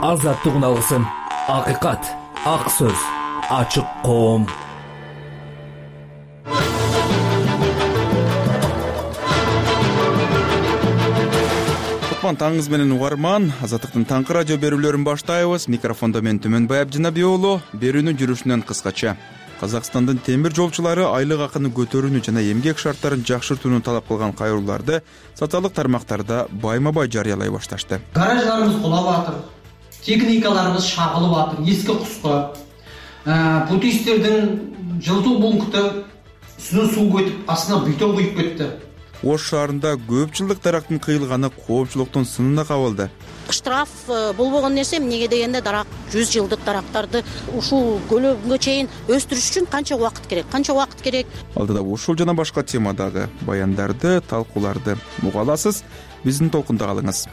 азаттыгын алгысың. Акыйкат, ак сөз, ачык коом. Таңыңыз менен угарман, Азаттыктын таңкы радио берүүлөрүн баштайбыз. Микрофондо мен Түмөнбай Абдинабий уулу. Берүүнүн жүрүшүнөн кыскача. Казакстандын темир жолчулары айлык акыны көтөрүүнү жана эмгек шарттарын жакшыртууну талап кылган кайрууларды социалдык тармактарда байма-бай жарыялай башташты. Гараждарыбыз кулап атыр, техникаларыбыз шагылып атыр, эски куска. Путисттердин жылытуу пункты үстүнөн суу көтүп, астына бетон куюп кетти. Ош шаарында көп жылдык дарактын кыйылганы коопчулуктун сынына кабылды. Штраф болбогон нерсе, эмнеге дегенде дарак 100 жылдык дарактарды ушул көлөмгө чейин өстүрүш үчүн канча убакыт керек? Алдыда ушул жана башка темадагы баяндарды, талкууларды уга аласыз. Биздин толкунда калыңыз.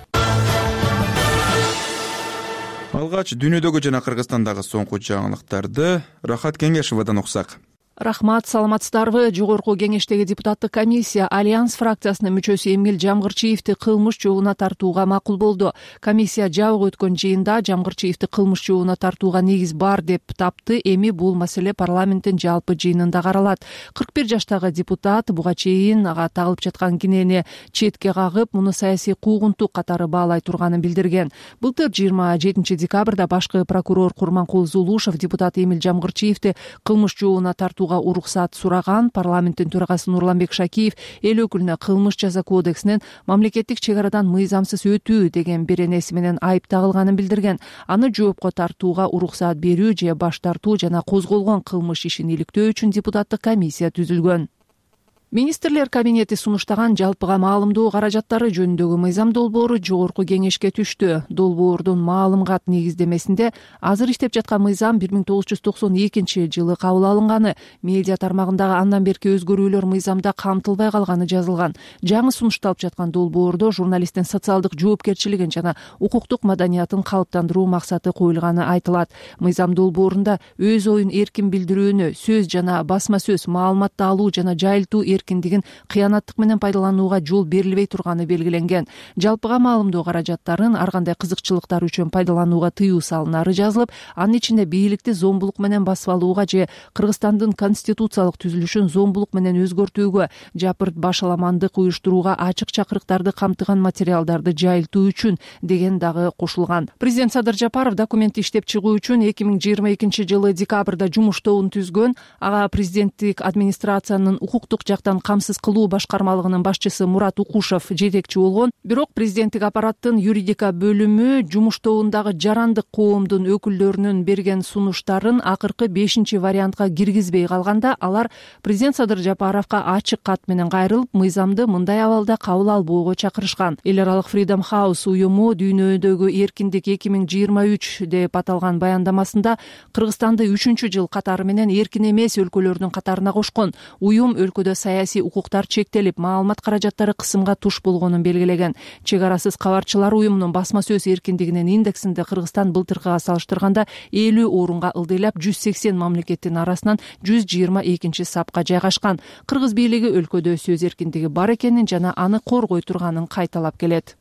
Алгач дүйнөдөгү жана Кыргызстандагы соңку жаңылыктарды Рахат Кеңешовдон уксак. Рахмат, саламатсыздарбы? Жогорку кеңештеги депутаттык комиссия Альянс фракциясынын мүчөсү Эмил Жамгырчиевди кылмыш жообуна тартууга макул болду. Комиссия жабык өткөн жыйында Жамгырчиевди кылмыш жообуна тартууга негиз бар деп тапты. Эми бул маселе парламенттин жалпы жыйынында каралат. 41 жаштагы депутат буга чейин ага тагылып жаткан кинени четке кагып, муну саясий куугунтук катары баалай турганын билдирген. Былтыр 27 декабрда башкы прокурор Курманкул Зулушев депутат Эмил Жамгырчиевди кылмыш жообуна тартууга уруксат сураган. Парламенттин төрагасы Нурланбек Шакиев эл өкүлүнө кылмыш жаза кодексинен мамлекеттик чек арадан мыйзамсыз өтүү деген беренеси менен айып тагылганын билдирген. Аны жоопко тартууга уруксат берүү же баш тартуу жана козголгон кылмыш ишин иликтөө үчүн депутаттык комиссия түзүлгөн. Министрлер кабинети сунуштаган жалпыга маалымдоо каражаттары жөнүндөгү мыйзам долбоору жогорку кеңешке түштү. Долбоордун маалымгат негиздемесинде азыр иштеп жаткан мыйзам 1992 жылы кабыл алынганы, медиа тармагындагы андан берки өзгөрүүлөр мыйзамда камтылбай калганы жазылган. Жаңы сунушталып жаткан долбоордо журналисттин социалдык жоопкерчилигин жана укуктук маданиятын калыптандыруу максаты коюлганы айтылат. Мыйзам долбоорунда өз оюн эркин билдирүүнү, сөз жана басма сөз, маалыматты алуу жана жайылтуу эркиндигин кыянаттык менен пайдаланууга жол берилбей турганы белгиленген. Жалпыга маалымдоо каражаттарын ар кандай кызыкчылыктар үчүн пайдаланууга тыюу салынары жазылып, анын ичинде бийликти зомбулук менен басып алууга же Кыргызстандын конституциялык түзүлүшүн зомбулук менен өзгөртүүгө, жапырт башаламандык уюштурууга ачык чакырыктарды камтыган материалдарды жайылтуу үчүн деген дагы кошулган. Президент Садыр Жапаров документти иштеп чыгуу үчүн 2022 жылы декабрда жумуш тобун түзгөн. Ага президенттик администрациянын укуктук жактан камсыз кылуу башкармалыгынын башчысы Мурат Укушев жетекчи болгон. Бирок президенттик аппараттын юридика бөлүмү жумуш тобундагы жарандык коомдун өкүлдөрүнүн берген сунуштарын акыркы 5-вариантка киргизбей калганда, алар президент Садыр Жапаровго ачык кат менен кайрылып, мыйзамды мындай абалда кабыл албоого чакырышкан. Эл аралык Freedom House уюму дүйнөдөгү эркиндик 2023 деп аталган баяндамасында Кыргызстанды 3-жыл катары менен эркин эмес өлкөлөрдүн катарына кошкон. Уюм өлкөдө саясий укуктар чектелип, маалымат каражаттары кысымга туш болгонун белгилеген. Чек арасыз кабарчылар уюмунун басма сөз эркиндигинин индексинде Кыргызстан былтыркыга салыштырганда 50 орунга ылдыйлап 180 мамлекеттин арасынан 122 сапка жайгашкан. Кыргыз бийлиги өлкөдө сөз эркиндиги бар экенин жана аны коргой турганын кайталап келет.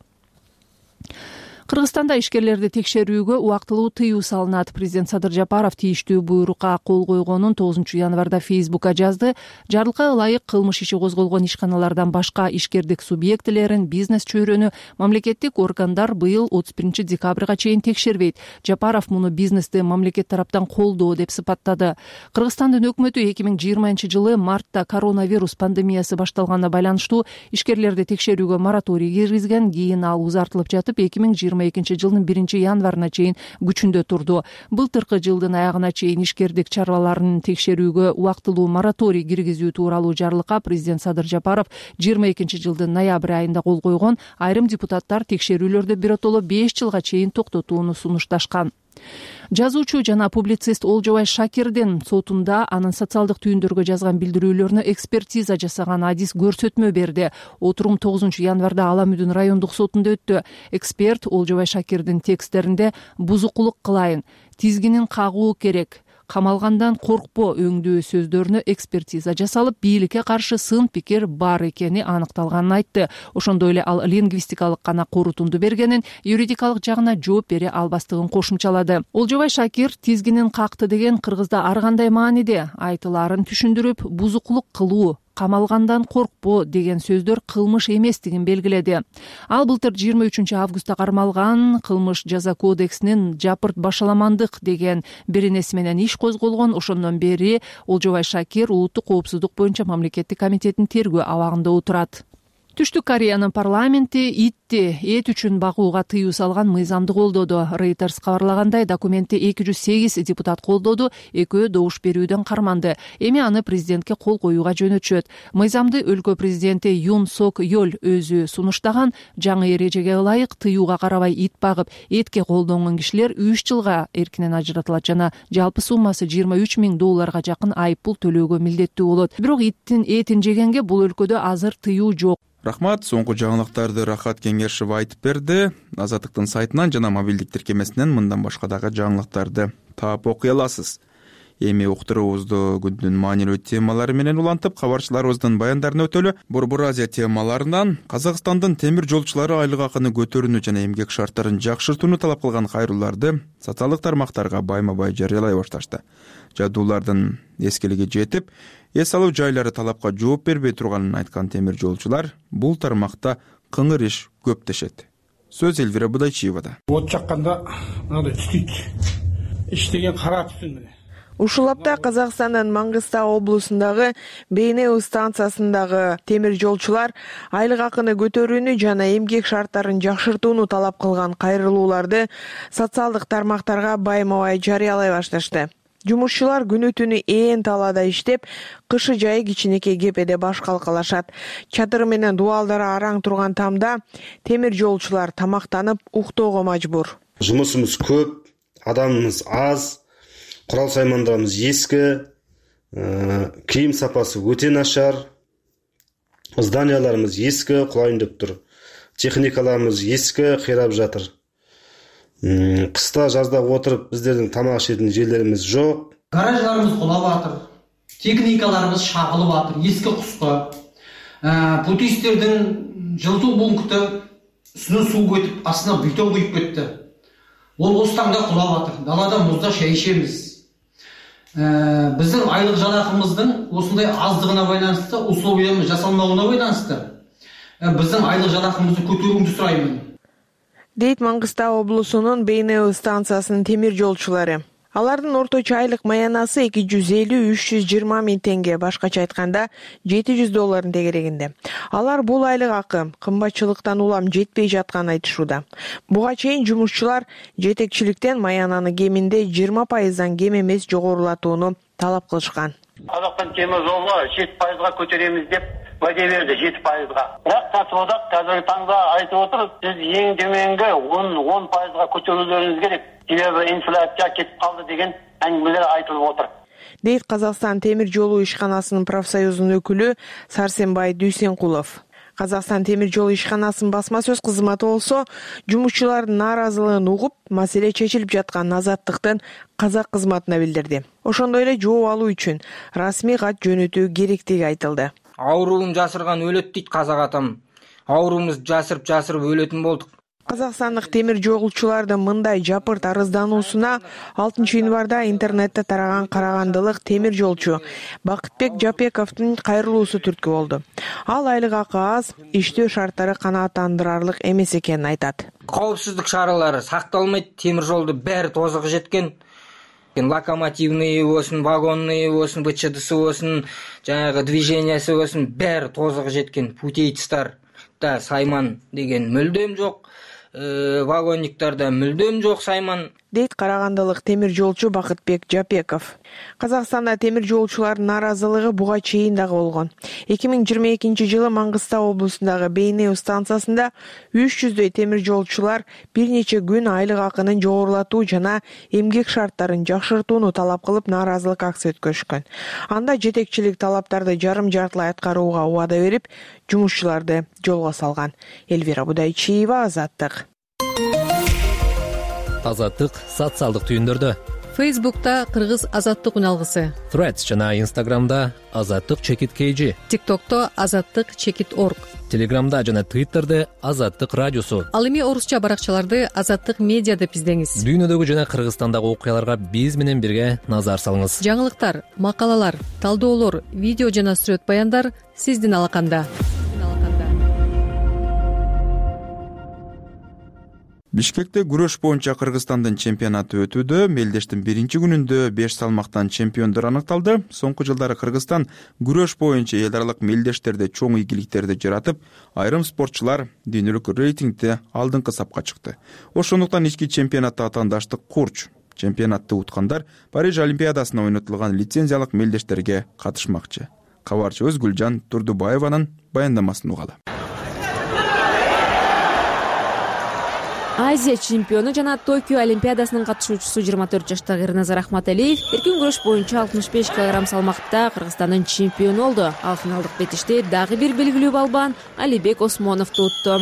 Кыргызстанда ишкерлерди текшерүүгө убактылуу тыюу салынат. Президент Садыр Жапаров тийиштүү буйрукка кол койгонун 9 январда Фейсбукка жазды. Жарлыкка ылайык кылмыш иши козголгон ишканалардан башка ишкердик субъектилерин, бизнес чөйрөнү мамлекеттик органдар быйыл 31 декабрга чейин текшербейт. Жапаров муну бизнести мамлекет тараптан колдоо деп сыпаттады. Кыргызстандын өкмөтү 2020 жылы мартта коронавирус пандемиясы башталганына байланыштуу ишкерлерди текшерүүгө мораторий киргизген. Кийин ал узартылып жатып 2022 жылдын 1 январына чейин күчүндө турду. Былтыркы жылдын аягына чейин ишкердик чараларын текшерүүгө убактылуу мораторий киргизүү тууралуу жарлыкка президент Садыр Жапаров 22 жылдын ноябрь айында кол койгон. Айрым депутаттар текшерүүлөрдү биротоло 5 жылга чейин токтотууну сунушташкан. Жазуучу жана публицист Олжобай Шакирдин сотунда анын социалдык түйүндөргө жазган билдирүүлөрүнө экспертиза жасаган адис көрсөтмө берди. Отурум 9 январда Ала Мүдүн райондук сотунда өттү. Эксперт Олжобай Шакирдин тексттеринде бузукулук кылайын, тизгинин кагуу керек, камалгандан коркпо өңдүү сөздөрүнө экспертиза жасалып, бийликке каршы сын пикир бар экени аныкталганын айтты. Ошондой эле ал лингвистикалык гана корутунду бергенин, юридикалык жагына жооп бере албастыгын кошумчалады. Олжобай Шакир тизгинин какты деген кыргызда ар кандай мааниде айтылаарын түшүндүрүп, бузукулук кылуу, камалгандан коркпо деген сөздөр кылмыш эместигин белгиледи. Ал былтыр 23 августта кармалган кылмыш жаза кодексинин жапырт башаламандык деген беренеси менен иш козголгон. Ошондон бери Олжобай Шакир улуттук коопсуздук боюнча мамлекеттик комитеттин тергөө абагында отурат. Түштүк Кореянын парламенти итти эт үчүн багууга тыюу салган мыйзамды колдоду. Reuters кабарлагандай, документти 208 депутат колдоду, экөө добуш берүүдөн карманды. Эми аны президентке кол коюуга жөнөтүшөт. Мыйзамды өлкө президенти Юн Сок Йол өзү сунуштаган. Жаңы эрежеге ылайык тыюуга карабай ит багып, этке колдонгон кишилер 3 жылга эркинен ажыратылат жана жалпы суммасы $23,000 жакын айып пул төлөөгө милдеттүү болот. Бирок иттин этин жегенге бул өлкөдө азыр тыюу жок. Рахмат, соңку жаңылыктарды Рахат Кеңешев айтып берди. Азаттыктын сайтынан жана мобилдик тиркемесинен мындан башка дагы жаңылыктарды таап окуй аласыз. Эми уктуруубузду күндүн маанилүү темалары менен улантып, кабарчыларыбыздын баяндарын өтөлү. Борбор Азия темаларынан Казакстандын темир жолчулары айлык акыны көтөрүүнү жана эмгек шарттарын жакшыртууну талап кылган кайрылууларды социалдык тармактарга байма-бай жарыялай башташты. Жадуулардын эскилиги жетип, эс алуу жайлары талапка жооп бербей турганын айткан темир жолчулар бул тармакта кыңыр иш көп дешет. Сөз Элвира Будайчиевада. От жакканда мындай түтүйт. Иштеген кара түтүн менен. Ушул апта Казакстандын Маңгыстау облусундагы Бейнеу станциясындагы темир жолчулар айлык акыны көтөрүүнү жана эмгек шарттарын жакшыртууну талап кылган кайрылууларды социалдык тармактарга байма-бай жарыялай башташты. Жумушчулар күнү түнү ээн талаада иштеп, кышы жайы кичинекей кепеде баш калкалашат. Чатыры менен дубалдары араң турган тамда темир жолчулар тамактанып уктоого мажбур. Жумушубуз көп, адамыбыз аз, курал саймандарыбыз эски, кийим сапасы өтө начар, зданияларыбыз эски, кулайын деп тур. Техникаларыбыз эски, кыйрап жатыр. Кыста жазда отуруп биздердин тамак ишетін жерлерimiz жок. Гараждарыбыз кулап атыр. Техникаларыбыз шагылып атыр, эски кускы. Путисттердин жылытуу пункты үстүнөн суу көтүп, астына бетон куюп кетти. Ол остаңда кулап атыр. Далада музда шейишебиз. Биздин айлык жалакыбыздын осундай аздыгына байланыштуу, условиябыз жасалмауына байланыштуу биздин айлык жалакыбызды көтөрүүнү сураймын. Дейт Маңгыстау облусунун Бейнеу станциясынын темир жолчулары. Алардын орточо айлык маянасы 250-320 миң теңге, башкача айтканда $700 тегерегинде. Алар бул айлык акы кымбатчылыктан улам жетпей жатканын айтышууда. Буга чейин жумушчулар жетекчиликтен маянаны кеминде 20%дан кем эмес жогорулатууну талап кылышкан. Казакстан темир жолу 7%га көтөрөбүз деп ваде берди, 7%га. Бирок катыбодак қазіргі таңда айтып отыр, сиз эң төмөнгү 10%га көтөрүүлөрүңүз керек. Себеби инфляция кетип калды деген әңгимелер айтылып отыр. Дейт Казакстан темир жолу ишканасынын профсоюзунун өкүлү Сарсенбай Дүйсенкулов. Казакстан темир жол ишканасынын басма сөз кызматы болсо, жумушчулардын нааразылыгын угуп, маселе чечилип жаткан Азаттыктын казак кызматына билдирди. Ошондой эле жооп алуу үчүн расмий кат жөнөтүү керектиги айтылды. Ауруун жасырган өлөт дейт казак атам. Ауруубузду жасырып өлөтүн болдук. Казакстандык темир жолчулардын мындай жапырт арыздануусуна 6 январда интернетте тараган карагандылык темир жолчу Бакытбек Жапековдун кайрылуусу түрткү болду. Ал айлык акы аз, иштөө шарттары канааттандырарлык эмес экенин айтат. Коопсуздук чаралары сакталмайт, темир жолду баары тозугу жеткен. Локомотивный болсун, вагонный болсун, БЧДсы болсун, жанагы движениясы болсун, баары тозугу жеткен. Путейцтар да сайман деген мүлдөм жок. Вагонниктарда мүлдөм жок сайман. Дейт карагандылык темир жолчу Бакытбек Жапеков. Казакстанда темир жолчулардын нааразылыгы буга чейин дагы болгон. 2022-жылы Маңгыстау облусундагы Бейнеу станциясында 300дөй темир жолчулар бир нече күн айлык акынын жогорулатуу жана эмгек шарттарын жакшыртууну талап кылып нааразылык акция өткөрүшкөн. Анда жетекчилик талаптарды жарым-жартылай аткарууга убада берип, жумушчуларды жолго салган. Элвира Будайчиева, Азаттык. Азаттык социалдык түйүндөрдө. Фейсбукта кыргыз азаттык үналгысы, Threads жана Instagramда азаттык чекит KG, TikTokто азаттык чекит org, Телеграмда жана Twitterде азаттык радиосу. Ал эми орусча баракчаларды азаттык медиа деп издеңиз. Дүйнөдөгү жана Кыргызстандагы окуяларга биз менен бирге назар салыңыз. Жаңылыктар, макалалар, талдоолор, видео жана сүрөт баяндар сиздин алаканда. Бишкекте күрөш боюнча Кыргызстандын чемпионаты өтүүдө. Мелдештин биринчи күнүндө 5 салмактан чемпиондор аныкталды. Соңку жылдары Кыргызстан күрөш боюнча эл аралык мелдештерде чоң ийгиликтерди жаратып, айрым спортчулар дүйнөлүк рейтингде алдыңкы сапка чыкты. Ошондуктан ички чемпионатта атаандаштык курч. Чемпионатты уткандар Париж Олимпиадасына ойнотулган лицензиялык мелдештерге катышмакчы. Кабарчыбыз Гүлжан Турдубаеванын баяндамасын угалы. Азия чемпиону жана Токио Олимпиадасынын катышуучусу 24 жаштагы Эрназар Ахматалиев эркин күрөш боюнча 65 кг салмакта Кыргызстандын чемпиону болду. Ал финалдык бетиште дагы бир белгилүү балбан Алибек Осмоновду утту.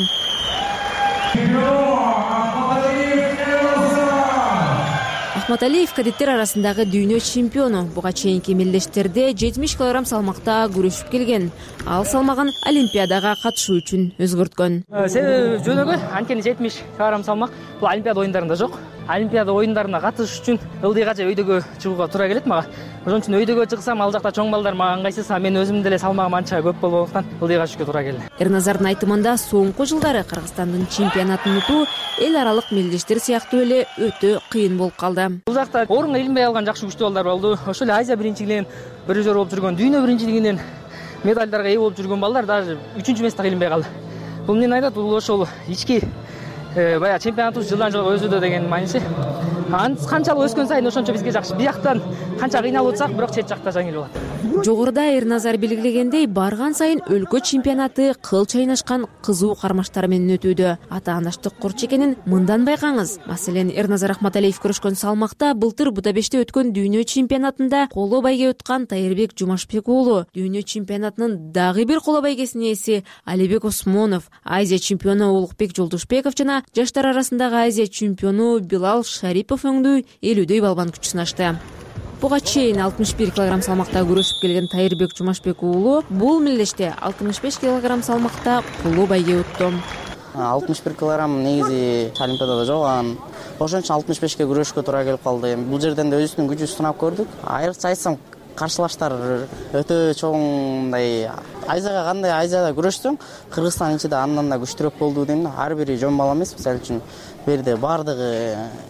Ахматалиев кадеттер арасындагы дүйнө чемпиону. Буга чейинки мелдештерде 70 кг салмакта күрөшүп келген. Ал салмагын Олимпиадага катышуу үчүн өзгөрткөн. Себеби жөнөкөй, анткени 70 кг салмак бул Олимпиада оюндарында жок. Олимпиада оюндарына катышыш үчүн ылдыйгача өйдөгө чыгууга туура келет мага. Ошон үчүн өйдөгө чыксам, ал жакта чоң балдар мага ыңгайсыз, мен өзүм деле салмагым анча көп болбогондуктан ылдыйга түшкө туура келди. Эрназардын айтымында соңку жылдары Кыргызстандын чемпионатын утуу эл аралык мелдештер сыяктуу эле өтө кыйын болуп калды. Бул жакта орунга илинбей алган жакшы күчтүү балдар болду. Ошол эле Азия биринчилигинен бирөжөр болуп жүргөн, дүйнө биринчилигинен медальдарга ээ болуп жүргөн балдар даже 3-үчү месте илинбей калды. Бул эмнени айтат? Бул ошол ички баягы чемпионатыбыз жылдан жылга өсүүдө деген мааниси. Канчалык өскөн сайын ошончо бизге жакшы. Бияктан канча кыйналып атсак, бирок чет жакта жеңил болот. Жогоруда Эрназар белгилегендей, барган сайын өлкө чемпионаты кыл чайнашкан кызуу кармаштар менен өтүүдө. Атаандаштык курч экенин мындан байкаңыз. Маселен, Эрназар Ахматалиев көрүшкөн салмакта былтыр Будапештте өткөн дүйнө чемпионатында коло байге уткан Тайырбек Жумашбек уулу. Дүйнө чемпионатынын дагы бир коло байгесинин ээси Алибек Осмонов, Азия чемпиону Улукбек Жолдошбеков жана жаштар арасындагы Азия чемпиону Билал Шарипов өңдүү 50дөй балбан күч сынашты. Буга чейин 61 кг салмакта күрөшүп келген Тайырбек Жумашбек уулу бул мелдеште 65 кг салмакта коло байге утту. 61 кг негизи Олимпиадада жок, ошон үчүн 65ке күрөшкө туура келип калды. Бул жерден да өзүбүздүн күчүбүздү сынап көрдүк. Айрыкча айтсам, каршылаштар өтө чоң. Азияга кандай Азияда күрөшсөң, Кыргызстан ичинде андан да күчтүүрөөк болду дейм. Ар бири жөн бала эмес, мисалы үчүн берде бардыгы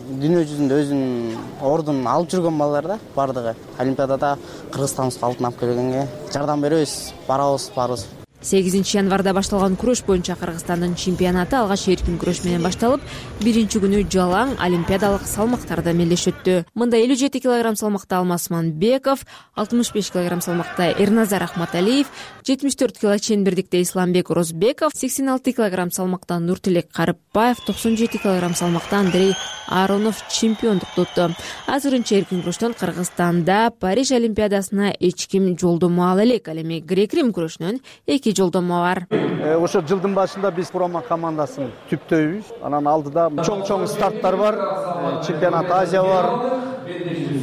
дүйнө жүзүндө өзүнүн ордун алып жүргөн балдар да, бардыгы Олимпиадада Кыргызстаныбызга алтын алып келгенге жардам беребиз, барабыз. 8 январда башталган күрөш боюнча Кыргызстандын чемпионаты алгач эркин күрөш менен башталып, биринчи күнү жалаң олимпиадалык салмактарда мелдеш өттү. Мында 57 кг салмакта Алмаз Манбеков, 65 кг салмакта Эрназар Ахматалиев, 74 кг чембирдикте Исламбек Розбеков, 86 кг салмакта Нуртилек Карыпбаев, 97 кг салмакта Андрей Аронов чемпиондукту утту. Азырынча эркин күрөштөн Кыргызстанда Париж Олимпиадасына эч ким жолдомо ала элек. Ал эми грек-рим күрөшүнөн 2 жолдомо бар. Ошо жылдын башында биз промо командасын түптөйбүз. Анан алдыда чоң старттар бар. Чемпионат Азия бар.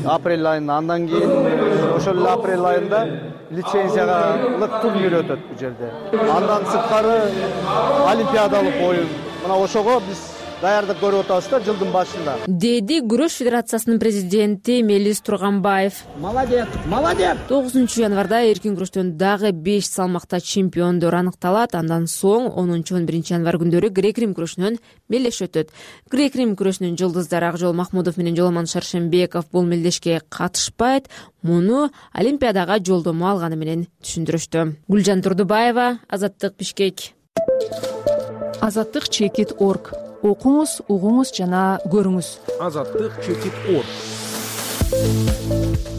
Апрель айында, андан кийин ошол эле апрель айында лицензиялык турнир өтөт бул жерде. Андан сырткары олимпиадалык оюн. Мына ошого биз даярдык көрүп атабыз да жылдын башында. Деди Күрөш федерациясынын президенти Мелис Турганбаев. Молодец. 9 январда эркин күрөштөн дагы 5 салмакта чемпиондор аныкталат. Андан соң 10-11 январ күндөрү грек-рим күрөшүнөн мелдеш өтөт. Грек-рим күрөшүнүн жылдыздары Акжол Махмудов менен Жоломон Шаршембеков бул мелдешке катышпайт. Муну Олимпиадага жолдомо алганы менен түшүндүрүштү. Гүлжан Турдубаева, Азаттык, Бишкек. Азаттык чекит org. Окуңуз, угуңуз жана көрүңүз. Азаттык чекит org.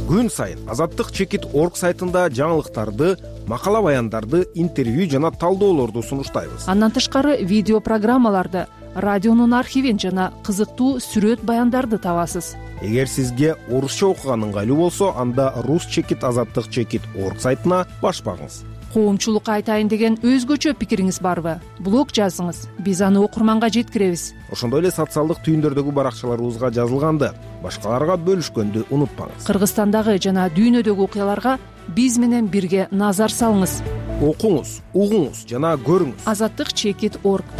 Күн сайын Азаттык чекит org сайтында жаңылыктарды, макала баяндарды, интервью жана талдоолорду сунуштайбыз. Андан тышкары видео программаларды, радионун архивин жана кызыктуу сүрөт баяндарды табасыз. Эгер сизге орусча окуган ыңгайлуу болсо, анда рус чекит азаттык чекит org сайтына баш багыңыз. коомчулукка айтайын деген өзгөчө пикириңиз барбы? Блог жазыңыз, биз аны окурманга жеткиребиз. Ошондой эле социалдык түйүндөрдөгү баракчаларыбызга жазылганды башкаларга бөлүшкөндү унутпаңыз. Кыргызстандагы жана дүйнөдөгү окуяларга биз менен бирге назар салыңыз. Окуңуз, угуңуз жана көрүңүз. Azatdıq.org.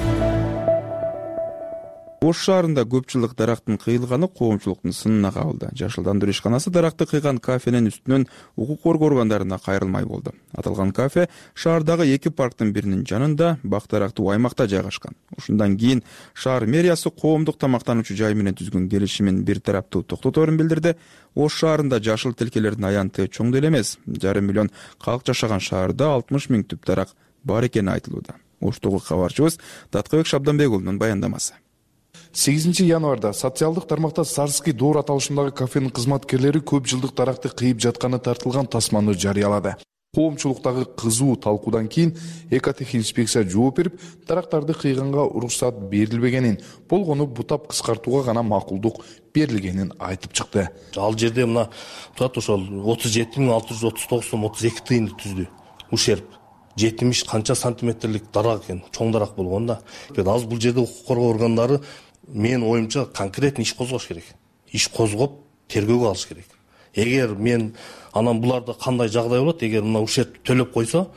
Ош шаарында көп жылдык дарактын кыйылганы коомчулуктун сынына кабылды. Жашылдандыруу ишканасы даракты кыйган кафенин үстүнөн укук коргоо органдарына кайрылмай болду. Аталган кафе шаардагы 2 парктын биринин жанында бак дарактуу аймакта жайгашкан. Ушундан кийин шаар мэриясы коомдук тамактануучу жай менен түзгөн келишимин бир тараптуу токтоторун билдирди. Ош шаарында жашыл тилкелердин аянты чоң деле эмес. 1,5 миллион калк жашаган шаарда 60 000 түп дарак бар экени айтылууда. Оштогу кабарчыбыз Таткыбек Шабданбек уулунун баяндамасы. 8 январда социалдык тармакта Сарский доор аталышындагы кафенин кызматкерлери көп жылдык даракты кыйып жатканы тартылган тасманы жарыялады. Коомчулуктагы кызуу талкуудан кийин экотехинспекция жооп берип, дарактарды кыйганга уруксат берилбегенин, болгону бутап кыскартууга гана макулдук берилгенин айтып чыкты. Ал жерде мына турат ошол 37.639 сом 32 тыйынды түздү. Ушерп 70 канча сантиметрлик дарак экен, чоң дарак болгон да. Азыр бул жерде укук коргоо органдары мен оюмча конкретный иш козгош керек. Иш козгоп, тергөөгө алыш керек. Эгер мен анан буларда кандай жагдай болот, эгер мына ушерт төлөп койсо,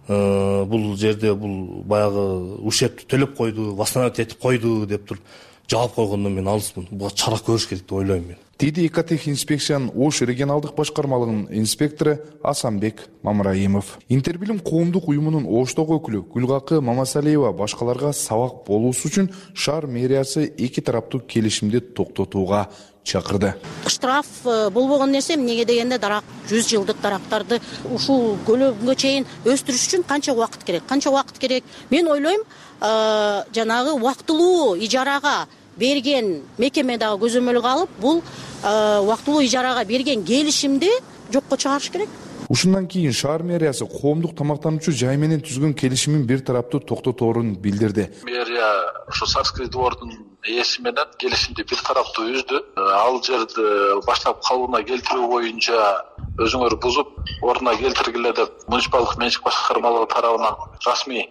бул жерде бул баягы ушерт төлөп койду, восстановить этип койду деп туруп жаап койгондон мен алыспын. Буга чара көрүш керек деп ойлойм мен. Деди экотехинспекциянын Ош регионалдык башкармалыгынын инспектору Асанбек Мамраимов. Интербилим коомдук уюмунун Оштогу өкүлү Гүлгакы Мамасалиева башкаларга сабак болуусу үчүн шаар мэриясы 2 тараптуу келишимди токтотууга чакырды. Штраф болбогон нерсе эмнеге дегенде дарак 100 жылдык дарактарды ушул көлөмгө чейин өстүрүш үчүн канча убакыт керек? Канча убакыт керек? Мен ойлойм, жанагы убактылуу ижарага берген мекеме дагы көзөмөлгө алып, бул убактылуу ижарага берген келишимди жокко чыгарыш керек. Ушундан кийин шаар мэриясы коомдук тамактануучу жай менен түзгөн келишимин бир тараптуу токтоторун билдирди. Мэрия ошо Сарский двордун ээси менен келишимди бир тараптуу үздү. Ал жерди баштап калыбына келтирүү боюнча өзүңөр бузуп, ордуна келтиргиле деп муниципалдык менчик башкармалыгы тарабынан расмий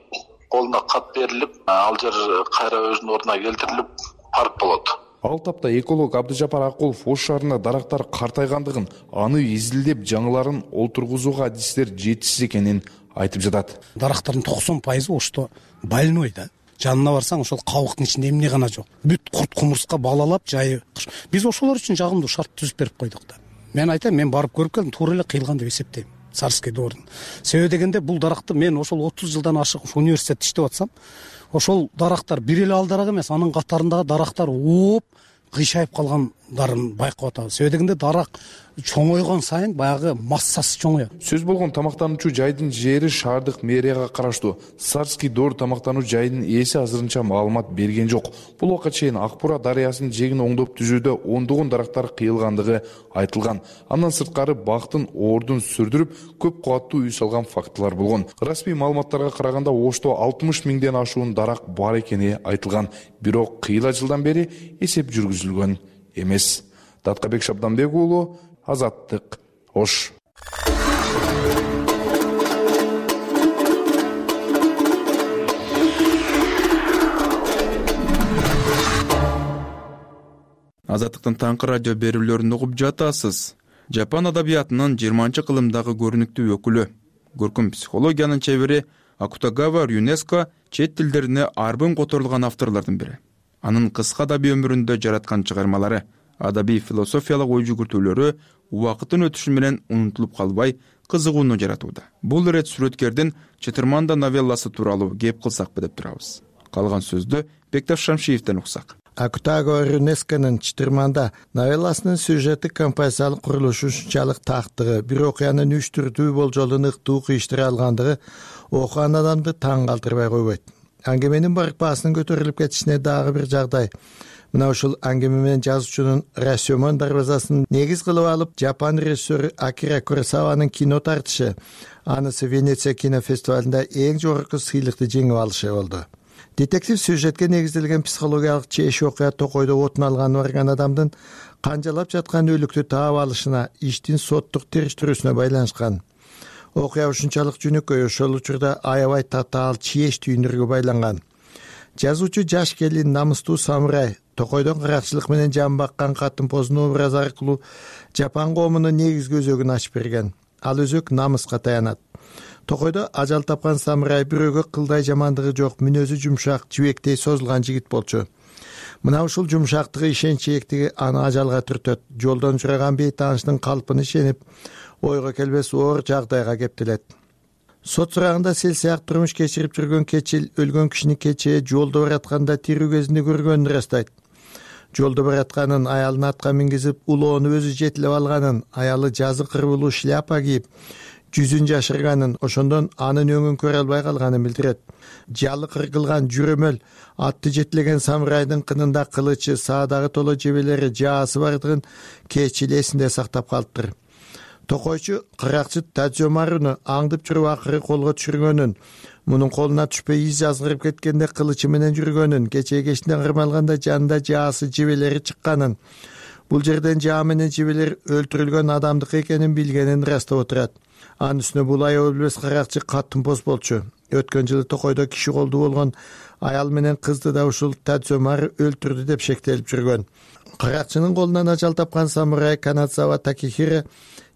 колуна кат берилип, ал жер кайра өзүнүн ордуна келтирилип, парк болот. Ал тапта эколог Абдыжапар Акулов Ош шаарында дарактар картайгандыгын, аны изилдеп жаңыларын олтургузууга адистер жетишсиз экенин айтып жатат. Дарактардын 90% Ошто больной да. Жанына барсаң, ошол кабыктын ичинде эмне гана жок. Бүт курт кумурска балалап жайы. Биз ошолор үчүн жагымдуу шарт түзүп берип койдук да. Мен айтам, мен барып көрүп келдим, туура эле кыйылган деп эсептейм. Сарский дордун. Себеби дегенде бул даракты мен ошол 30 жылдан ашык университетте иштеп атсам, ошол дарактар бир эле алдарак эмес, анын катарындагы дарактар ооп кыйшайып калгандарын байкап атабыз. Себеби дегенде дарак чоңойгон сайын баягы массасы чоңоет. Сөз болгон тамактануучу жайдын жери шаардык мэрияга караштуу. Сарский доор тамактануу жайдын ээси азырынча маалымат берген жок. Бул убакка чейин Акбура дарыясынын жегин оңдоп түзүүдө ондогон дарактар кыйылгандыгы айтылган. Андан сырткары бактын ордун сүрдүрүп, көп кубаттуу үй салган фактылар болгон. Расмий маалыматтарга караганда Ошто 60 000ден ашуун дарак бар экени айтылган. Бирок кыйла жылдан бери эсеп жүргүзүлгөн эмес. Таткыбек Шабданбек уулу, Азаттык, Ош. Азаттыктын таңкы радио берүүлөрүн угуп жатасыз. Жапон адабиятынын 20-кылымдагы көрүнүктүү өкүлү, көркөм психологиянын чебери Акутагава Рюнеско чет тилдерине арбын которулган авторлордун бири. Анын кыска адабий өмүрүндө жараткан чыгармалары, адабий философиялык ой жүгүртүүлөрү убакыттын өтүшү менен унутулуп калбай, кызыгууну жаратууда. Бул ирет сүрөткердин Чытырманда новелласы тууралуу кеп кылсакпы деп турабыз. Калган сөздү Бекташ Шамшиевден уксак. Акутагава Рюнесконун Чытырманда новелласынын сюжети композициялык курулушу ушунчалык тактыгы, бир окуянын 3 түрдүү болжолун ыктуу кыйыштыра алгандыгы окуган адамды таң калтырбай койбойт. Аңгеменин барк баасынын көтөрүлүп кетишине дагы бир жагдай. Мына ушул аңгеме менен жазуучунун Расёмон дарбазасын негиз кылып алып, Жапон режиссеру Акира Куросаванын кино тартышы, анысы Венеция кинофестивалында эң жогорку сыйлыкты жеңип алышы болду. Детектив сюжетке негизделген психологиялык чеш окуя токойдо отун алганы барган адамдын канжалап жаткан өлүктү таап алышына, иштин соттук териштирүүсүнө байланышкан. Окуя ушунчалык жөнөкөй, ошол учурда аябай татаал чиеш түйүндөргө байланган. Жазуучу жаш келин, намыстуу самурай, токойдон каракчылык менен жан баккан катын позун образы аркылуу Жапон коомунун негизги өзөгүн ачып берген. Ал өзөк намыска таянат. Токойдо ажал тапкан самурай бирөөгө кылдай жамандыгы жок, мүнөзү жумшак, жибектей созулган жигит болчу. Мына ушул жумшактыгы, ишенчээктиги аны ажалга түртөт. Жолдон жураган бейтааныштын калпын ишенип, ойго келбес оор жагдайга кептелет. Сот сурагында сел сыяк турмуш кечирип жүргөн Кечил өлгөн кишини кечээ жолдо баратканда тирүү кезинде көргөнүн ырастайт. Жолдо баратканын, аялын атка мингизип, улоону өзү жетилеп алганын, аялы жазы кырбылуу шляпа кийип, жүзүн жашырганын, ошондон анын өңүн көрө албай калганын билдирет. Жалы кыргылган жүрөмөл, атты жетилеген самурайдын кынында кылычы, саадагы толо жебелери, жаасы бардыгын Кечил эсинде сактап калыптыр. Токойчу кыракчы Тадзёмаруну аңдып жүрүп акыры колго түшүргөнүн, мунун колуна түшпөй из жазгырып кеткенде кылычы менен жүргөнүн, кечээ кечинден кырмалганда жанында жаасы, жебелери чыкканын, бул жерден жаа менен жебелер өлтүрүлгөн адамдык экенин билгенин ырастап отурат. Анын үстүнө бул аябай билбес каракчы катын поз болчу. Өткөн жылы Токойдо киши колдуу болгон аял менен кызды да ушул Тадзёмару өлтүрдү деп шектелип жүргөн. Каракчынын колунан ажал тапкан самурай Канадзава Такехиро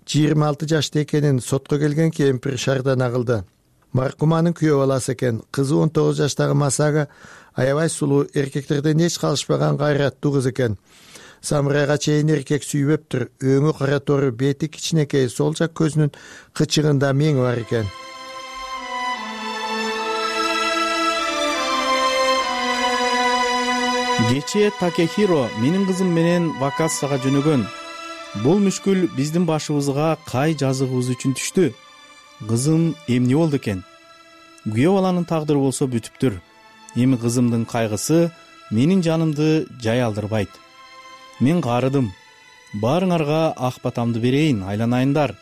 26 жашта экенин сотко келген кемпир шаардана кылды. Маркуманын күйөө баласы экен. Кызы 19 жаштагы Масага аябай сулуу, эркектерден эч калышпаган кайраттуу кыз экен. Самурайга чейин эркек сүйбөптүр. Өңү кара тору, бети кичинекей, сол жак көзүнүн кычыгында меңи бар экен. Кечээ Такехиро менин кызым менен вакацияга жөнөгөн. Бул мүшкүл биздин башыбызга кай жазыгыбыз үчүн түштү? Кызым эмне болду экен? Күйөө баланын тагдыры болсо бүтүптүр. Эми кызымдын кайгысы менин жанымды жай алдырбайт. Мен каарыдым. Баарыңарга ак батамды берейин, айланайындар.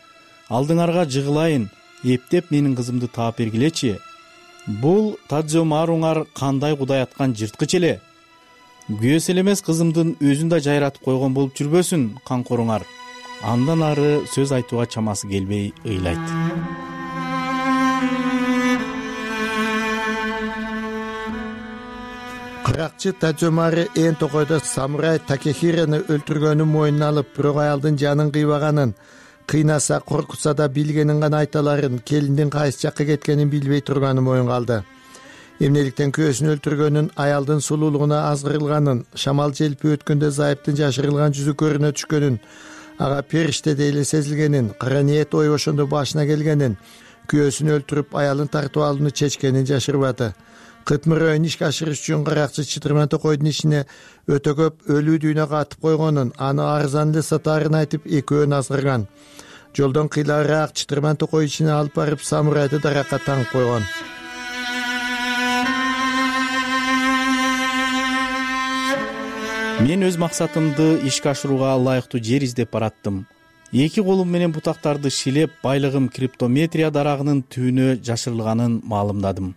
Алдыңарга жыгылайын, эптеп менин кызымды таап бергилечи. Бул Тадзёмаруңар кандай кудай аткан жырткыч эле. Күйөөсү эле эмес, кызымдын өзүн да жайратып койгон болуп жүрбөсүн камкоруңар. Андан ары сөз айтууга чамасы келбей ыйлайт. Кыракчы Тадзёмару эн Токойдо самурай Такехирону өлтүргөнүн мойнуна алып, бирок аялдын жанын кыйбаганын, кыйнаса, коркутса да билгенин гана айталарын, келиндин кайсы жакка кеткенин билбей турганын моюнга алды. Эмнеликтен күйөөсүн өлтүргөнүн, аялдын сулуулугуна азгырылганын, шамал желпи өткөндө зайыптын жашырылган жүзү көрүнө түшкөнүн, ага периштедей эле сезилгенин, кара ниет ой ошондо башына келгенин, күйөөсүн өлтүрүп аялын тартып алууну чечкенин жашырбады. Кытмырөөнү ишке ашырыш үчүн каракчы Чытырман Токойдун ишине өтө көп өлүү дүйнө катып койгонун, аны арзан эле сатаарын айтып экөөнү азгырган. Жолдон кыйлагыраак Чытырман Токой ишине алып барып самурайды даракка таңып койгон. Мен өз максатымды ишке ашырууга ылайыктуу жер издеп бараттым. Эки колум менен бутактарды шилеп, байлыгым криптометрия дарагынын түбүнө жашырылганын маалымдадым.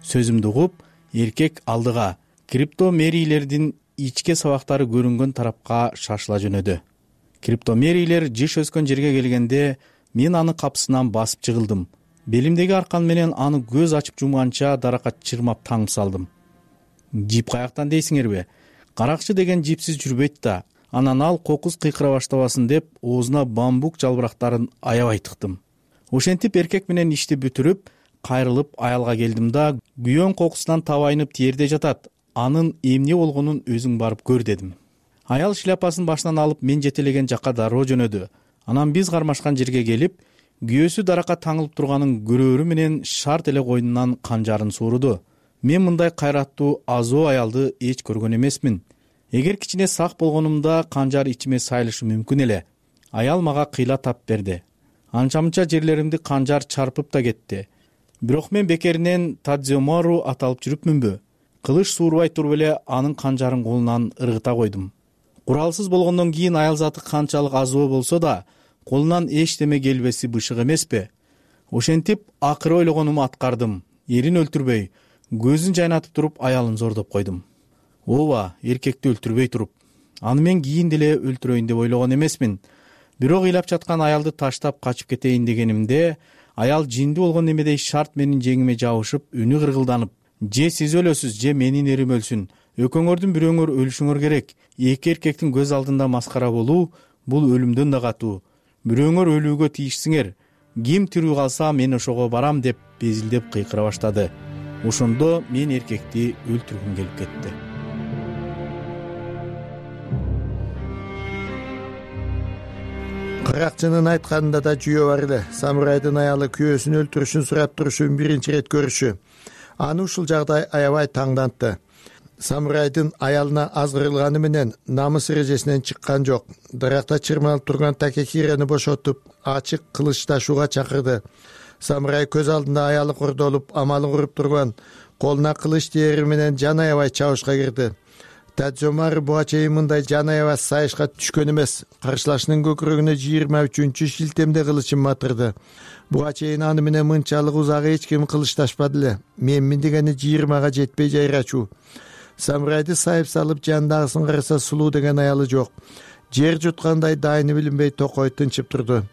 Сөзүмдү угуп, эркек алдыга криптомерийлердин ичке сабактары көрүнгөн тарапка шашыла жөнөдү. Криптомерийлер жыш өскөн жерге келгенде, мен аны капсынан басып чыгылдым. Белимдеги аркан менен аны көз ачып жумганча даракка чырмап таңып салдым. Жип каяктан дейсиңерби? Каракчы деген жипсиз жүрбөйт да. Анан ал кокус кыйкыра баштабасын деп, оозуна бамбук жалбырактарын аябай тыктым. Ошентип эркек менен ишти бүтүрүп, кайрылып аялга келдим да, күйөөң кокусунан табайынып тиерде жатат. Анын эмне болгонун өзүң барып көр дедим. Аял шляпасын башынан алып мен жетелеген жакка дароо жөнөдү. Анан биз кармашкан жерге келип, күйөөсү даракка таңылып турганын көрөөрү менен шарт эле койнунан канжарын сууруду. Мен мындай кайраттуу азоо аялды эч көргөн эмесмин. Эгер кичине сак болгонумда канжар ичиме сайылышы мүмкүн эле. Аял мага кыйла тап берди. Анча-мынча жерлеримди канжар чарпып да кетти. Бирок мен бекеринен Тадзёмару аталып жүрүпмүнбү? Кылыч суурбай туруп эле анын канжарын колунан ыргыта койдум. Куралсыз болгондон кийин аял заты канчалык азоо болсо да, колунан эчтеме келбеси бышык эмеспи? Ошентип акыры ойлогонумду аткардым. Эрин өлтүрбөй, көзүн жайнатып туруп аялын зордоп койдум. Ооба, эркекти өлтүрбөй туруп. Аны мен кийин деле өлтүрөйүн деп ойлогон эмесмин. Бирок ыйлап жаткан аялды таштап качып кетейин дегенимде, аял жиндүү болгон немедей шарт менин жеңиме жабышып, үнү кыргылданып: же сиз өлөсүз, же менин эрим өлсүн. Экөөңөрдүн бирөөңөр өлүшүңөр керек. Эки эркектин көз алдында маскара болуу бул өлүмдөн да катуу. Бирөөңөр өлүүгө тийишсиңер. Ким тирүү калса мен ошого барам деп безилдеп кыйкыра баштады. Ошондо мен эркекти өлтүргүм келип кетти. Кыракчынын айтканында да жүйө бар эле. Самурайдын аялы күйөөсүн өлтүрүшүн сурап турушун биринчи ирет көрүшү аны ушул жагдай аябай таңдантты. Самурайдын аялына азгырылганы менен намыс эрежесинен чыккан жок. Даракта чырмалып турган Такехирени бошотуп, ачык кылыч ташууга чакырды. Самурай көз алдында аялы кордолуп, амалын куруп турган, колуна кылыч теери менен жан аябай чабышка кирди. Тадзомару буга чейин мындай жан аябай сайышка түшкөн эмес. Каршылашынын көкүрөгүнө 23-чү шилтемде кылычын батырды. Буга чейин аны менен мынчалык узак эч ким кылычташпады эле. Менмин дегени 20га жетпей жайрачу. Самурайды сайып салып жандагысын караса сулуу деген аялы жок. Жер жуткандай дайыны билинбей токой тынчып турду.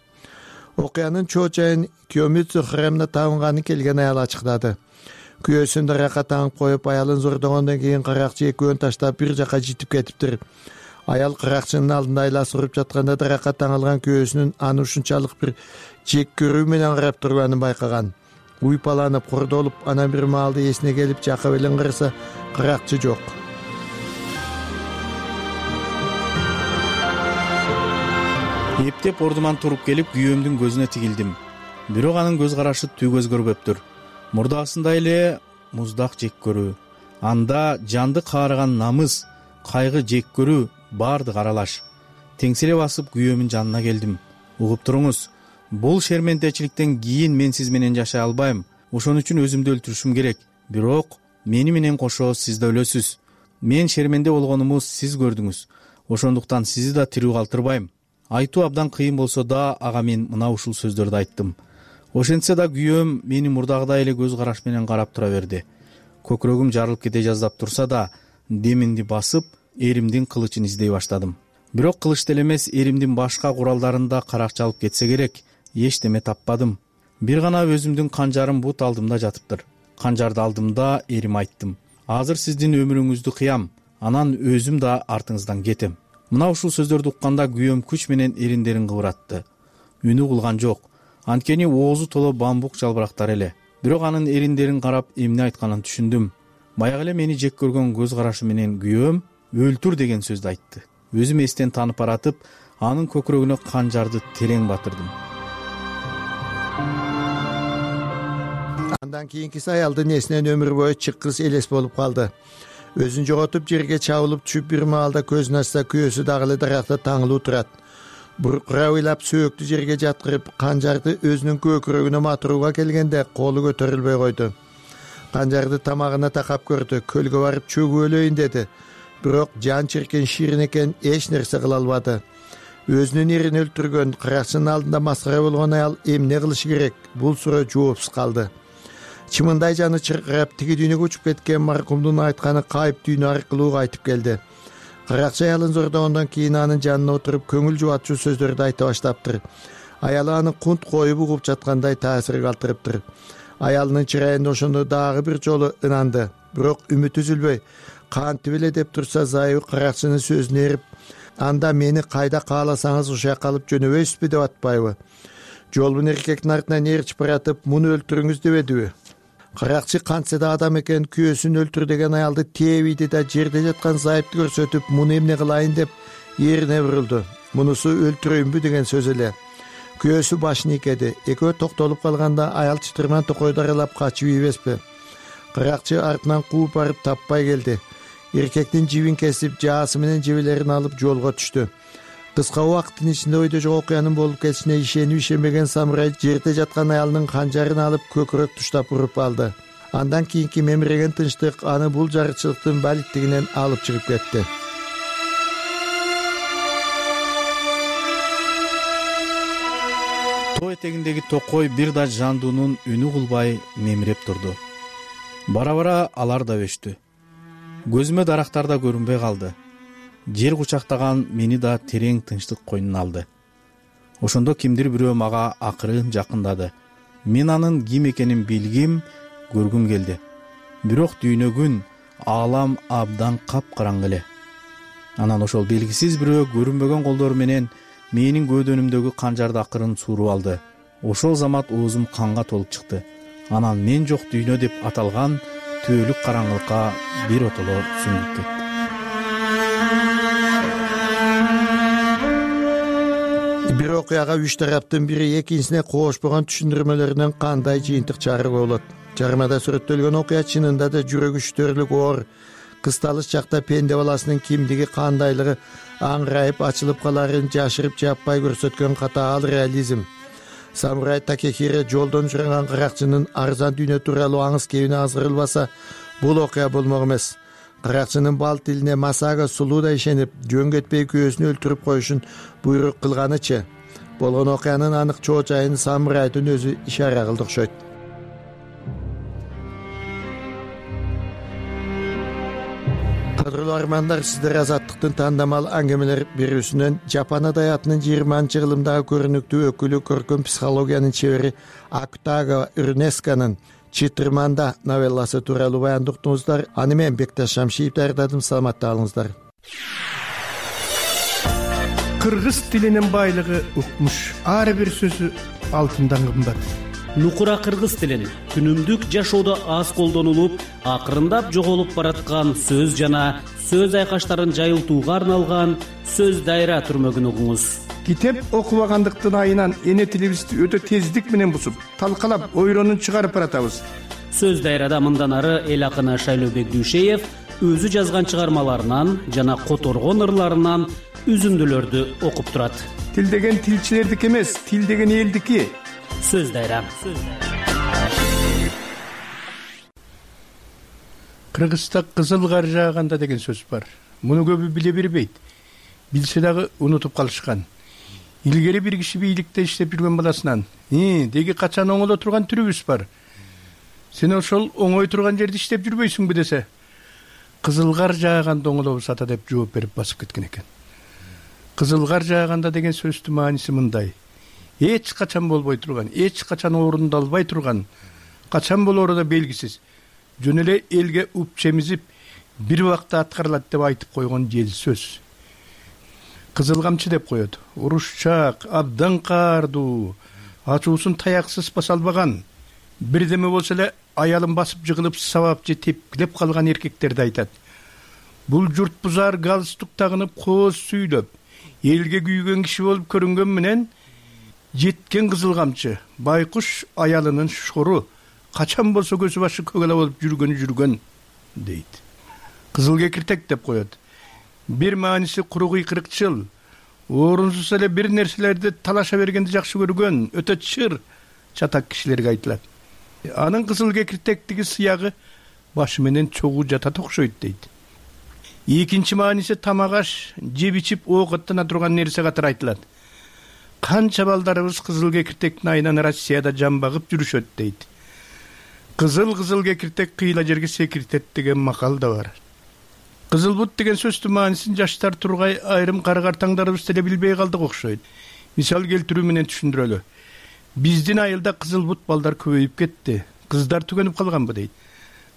Окуянын чоо-чайын Кёмүцү храмына табынганы келген аял ачыктады. Күйөөсүн даракка таңып коюп, аялын зордогондон кийин каракчы экөөнү таштап бир жака житип кетиптир. Аял каракчынын алдында айласы уруп жатканда даракка таңылган күйөөсүнүн аны ушунчалык бир жек көрүү менен карап турганын байкаган. Уйпаланып, кордолуп, анан бир маалда эсине келип жакып элен караса, каракчы жок. Эптеп ордуман туруп келип, күйөөмдүн көзүнө тигилдим. Бирок анын көз карашы түгө өзгөрбөптүр. Мурдасында эле муздак жек көрүү, анда жанды каарыган намыс, кайгы, жек көрүү баардык аралаш. Теңселе басып күйөөмүн жанына келдим. Угуп туруңуз, бул шерментечиликтен кийин мен сиз менен жашай албайм. Ошон үчүн өзүмдү өлтүрүшүм керек. Бирок мени менен кошо сиз да өлөсүз. Мен шерменде болгонумду сиз көрдүңүз. Ошондуктан сизди да тирүү калтырбайм. Айтуу абдан кыйын болсо да ага мен мына ушул сөздөрдү айттым. Ошентсе да күйөөм мени мурдагыдай эле көз караш менен карап тура берди. Көкүрөгүм жарылып кете жаздап турса да, демимди басып, эримдин кылычын издей баштадым. Бирок кылыч деле эмес, эримдин башка куралдарын карак чалып кетсе керек, эчтеме таппадым. Бир гана өзүмдүн канжарым бут алдымда жатыптыр. Канжарды алдымда эрим айттым: азыр сиздин өмүрүңүздү кыям, анан өзүм да артыңыздан кетем. Мына ушул сөздөрдү укканда күйөөм күч менен эриндерин кыбыратты. Үнү кулган жок. Анткени оозу толо бамбук жалбырактар эле. Бирок анын эриндерин карап эмне айтканын түшүндүм. Баягы эле мени жек көргөн көз карашы менен күйөөм өлтүр деген сөздү айтты. Өзүм эстен таанып баратып, анын көкүрөгүнө канжарды терең батырдым. Андан кийинкиси аялдын эсинен өмүр бою чыккыс элес болуп калды. Өзүн жоготуп жерге чабылып түшүп бир маалда көзүн ачса, күйөөсү дагы эле даракта таңылуу турат. Буркура ыйлап сөөктү жерге жаткырып, канжарды өзүнүн көкүрөгүнө матырууга келгенде колу көтөрүлбөй койду. Канжарды тамагына такап көрдү, көлгө барып чөгүп өлөйүн деди. Бирок жан чиркен ширин экен, эч нерсе кыла албады. Өзүнүн эрин өлтүргөн, каракчынын алдында маскара болгон аял эмне кылышы керек? Бул суроо жоопсуз калды. Чымындай жаны чыркырап, тиги дүйнөгө учуп кеткен маркумдун айтканы кайып дүйнө аркылуу кайтып келди. Каракчы аялын зордогондон кийин анын жанына отуруп, көңүл жубатчу сөздөрдү айта баштаптыр. Аялы аны кунт коюп угуп жаткандай таасир калтырыптыр. Аялынын чырайында ошондо дагы бир жолу ынанды. Бирок үмүт үзүлбөй, кантип эле деп турса, зайыбы каракчынын сөзүнө эрип: анда мени кайда кааласаңыз ушул жака алып жөнөбөйсүзбү деп атпайбы? Жолбун эркектин артынан ээрчип баратып, муну өлтүрүңүз дебедиби? Каракчы кантсе да адам экен, күйөөсүн өлтүр деген аялды тебийди да жерде жаткан зайыпты көрсөтүп, муну эмне кылайын деп эрине бурулду. Мунусу өлтүрөйүнбү деген сөз эле. Күйөөсү башын ийкеди. Экөө токтолуп калганда аял чытырман токойду аралап качып ийбеспи? Каракчы артынан кууп барып таппай келди. Эркектин жибин кесип, жаасы менен жебелерин алып жолго түштү. Кыска убакыттын ичинде ойдо жок окуянын болуп кетишине ишенип ишенбеген самурай жерде жаткан аялынын канжарын алып көкүрөк туштап уруп алды. Андан кийинки мемиреген тынчтык аны бул жарычылыктын балиттигинен алып чыгып кетти. Тоо этегиндеги токой бир да жандуунун үнү кылбай мемиреп турду. Бара-бара алар да өчтү. Көзүмө дарактар да көрүнбөй калды. Жер кучактаган мени да терең тынчтык койнуна алды. Ошондо кимдир бирөө мага акырын жакындады. мен анын ким экенин билгим, көргүм келди. Бирок дүйнө күн, аалам абдан капкараңгы эле. Анан ошол белгисиз бирөө көрүнбөгөн колдору менен менин көөдөнүмдөгү канжарды акырын сууруп алды. Ошол замат оозум канга толуп чыкты. Анан мен жок дүйнө деп аталган түбөлүк караңгылыкка бир отоло сүңгүп кетти. Бир окуяга үч тараптын бири экинчисине коошпогон түшүндүрмөлөрүнөн кандай жыйынтык чыгарууга болот? Чыгармада сүрөттөлгөн окуя чынында да жүрөгү шүтөрлүк оор. Кысталыш чакта пенде баласынын кимдиги, кандайлыгы аңырайып ачылып каларын жашырып жаппай көрсөткөн катаал реализм. Самурай Такехиро жолдон учураган каракчынын арзан дүйнө тууралуу аңыз кебине азгырылбаса, бул окуя болмок эмес. Каракчынын бал тилине Масага сулуудай ишенип, жөн кетпей күйөөсүн өлтүрүп коюшун буйрук кылганычы. Болгон окуянын анык чоо жайын самурайдын өзү ишара кылды окшойт. Кадырлуу армандар, сиздер Азаттыктын тандамал аңгемелер берүүсүнөн Жапон адаятынын 20-жылымдагы көрүнүктүү өкүлү, көркөм психологиянын чебери Акутаго Урнесканын Чытырманда новелласы тууралуу баяндоо уктуңуздар. Аны мен Бекташ Шамшиев даярдадым. Саламатта калыңыздар. Кыргыз тилинин байлыгы укмуш. Ар бир сөзү алтындан кымбат. Нукура кыргыз тилин күнүмдүк жашоодо аз колдонулуп, акырындап жоголуп бараткан сөз жана сөз айкаштарын жайылтууга арналган сөз дайра түрмөгүн угуңуз. Китеп окубагандыктын айынан эне тилибизди өтө тездик менен бусуп, талкалап, ойронун чыгарып баратабыз. Сөз дайрада мындан ары эл акыны Шайлообек Дүйшеев өзү жазган чыгармаларынан жана которгон ырларынан үзүндүлөрдү окуп турат. Тил деген тилчилердики эмес, тил деген элдики. Сөз дайра. Кыргызда кызыл кар жааганда деген сөз бар. Муну көбү биле бербейт. Билсе дагы унутуп калышкан. Илгери бир киши бийликте иштеп жүргөн баласынан: "Деги качан оңоло турган түрүбүз бар. Сен ошол оңой турган жерде иштеп жүрбөйсүңбү?" десе, "Кызыл кар жааганда оңолобуз ата" деп жооп берип басып кеткен экен. Кызыл кар жааганда деген сөздүн мааниси мындай: эч качан болбой турган, эч качан орундалбай турган, качан болоору да белгисиз, жөн эле элге уп чемизип, бир убакта аткарылат деп айтып койгон жел сөз. Кызыл камчы деп коет. Урушчак, абдан каардуу, ачуусун таяксыз баса албаган, бирдеме болсо эле аялын басып жыгылып сабап же тепкилеп калган эркектерди айтат. Бул журт бузар галстук тагынып, кооз сүйлөп, элге күйгөн киши болуп көрүнгөн менен жеткен кызыл камчы, байкуш аялынын шору, качан болсо көзү башы көгала болуп жүргөн дейт. Кызыл кекиртек деп коет. Бир мааниси куру кыйкырыкчыл, орунсуз эле бир нерселерди талаша бергенди жакшы көргөн, өтө чыр чатак кишилерге айтылат. Анын кызыл кекиртектиги сыягы башы менен чогуу жатат окшойт дейт. Экинчи мааниси тамак аш, жеп ичип оокаттана турган нерсе катары айтылат. Канча балдарыбыз кызыл кекиртектин айынан Россияда жан багып жүрүшөт дейт. Кызыл кекиртек кыйла жерге секиртет деген макал да бар. Кызыл бут деген сөздүн маанисин жаштар тургай айрым каргартаңдарыбыз деле билбей калдык окшойт. Мисал келтирүү менен түшүндүрөлү. Биздин айылда кызыл бут балдар көбөйүп кетти. Кыздар түгөнүп калганбы дейт.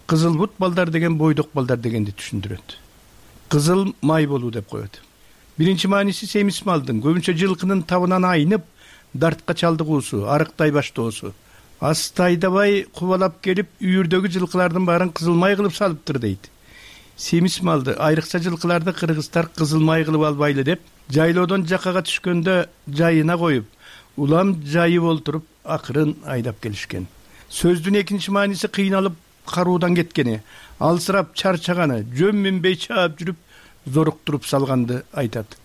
Кызыл бут балдар деген бойдок балдар дегенди түшүндүрөт. Кызыл май болуу деп коет. Биринчи мааниси семиз малдын, көбүнчө жылкынын табынан айнып, дартка чалдыгуусу, арыктай баштоосу. Асты айдабай кубалап келип, үйүрдөгү жылкылардын баарын кызыл май кылып салыптыр дейт. Семиз малды, айрыкча жылкыларды кыргыздар кызыл май кылып албайлы деп, жайлоодон жакага түшкөндө жайына коюп, улам жайып олтуруп, акырын айдап келишкен. Сөздүн экинчи мааниси кыйналып, каруудан кеткени, алсырап чарчаганы, жөн минбей чаап жүрүп, зоруктуруп салганды айтат.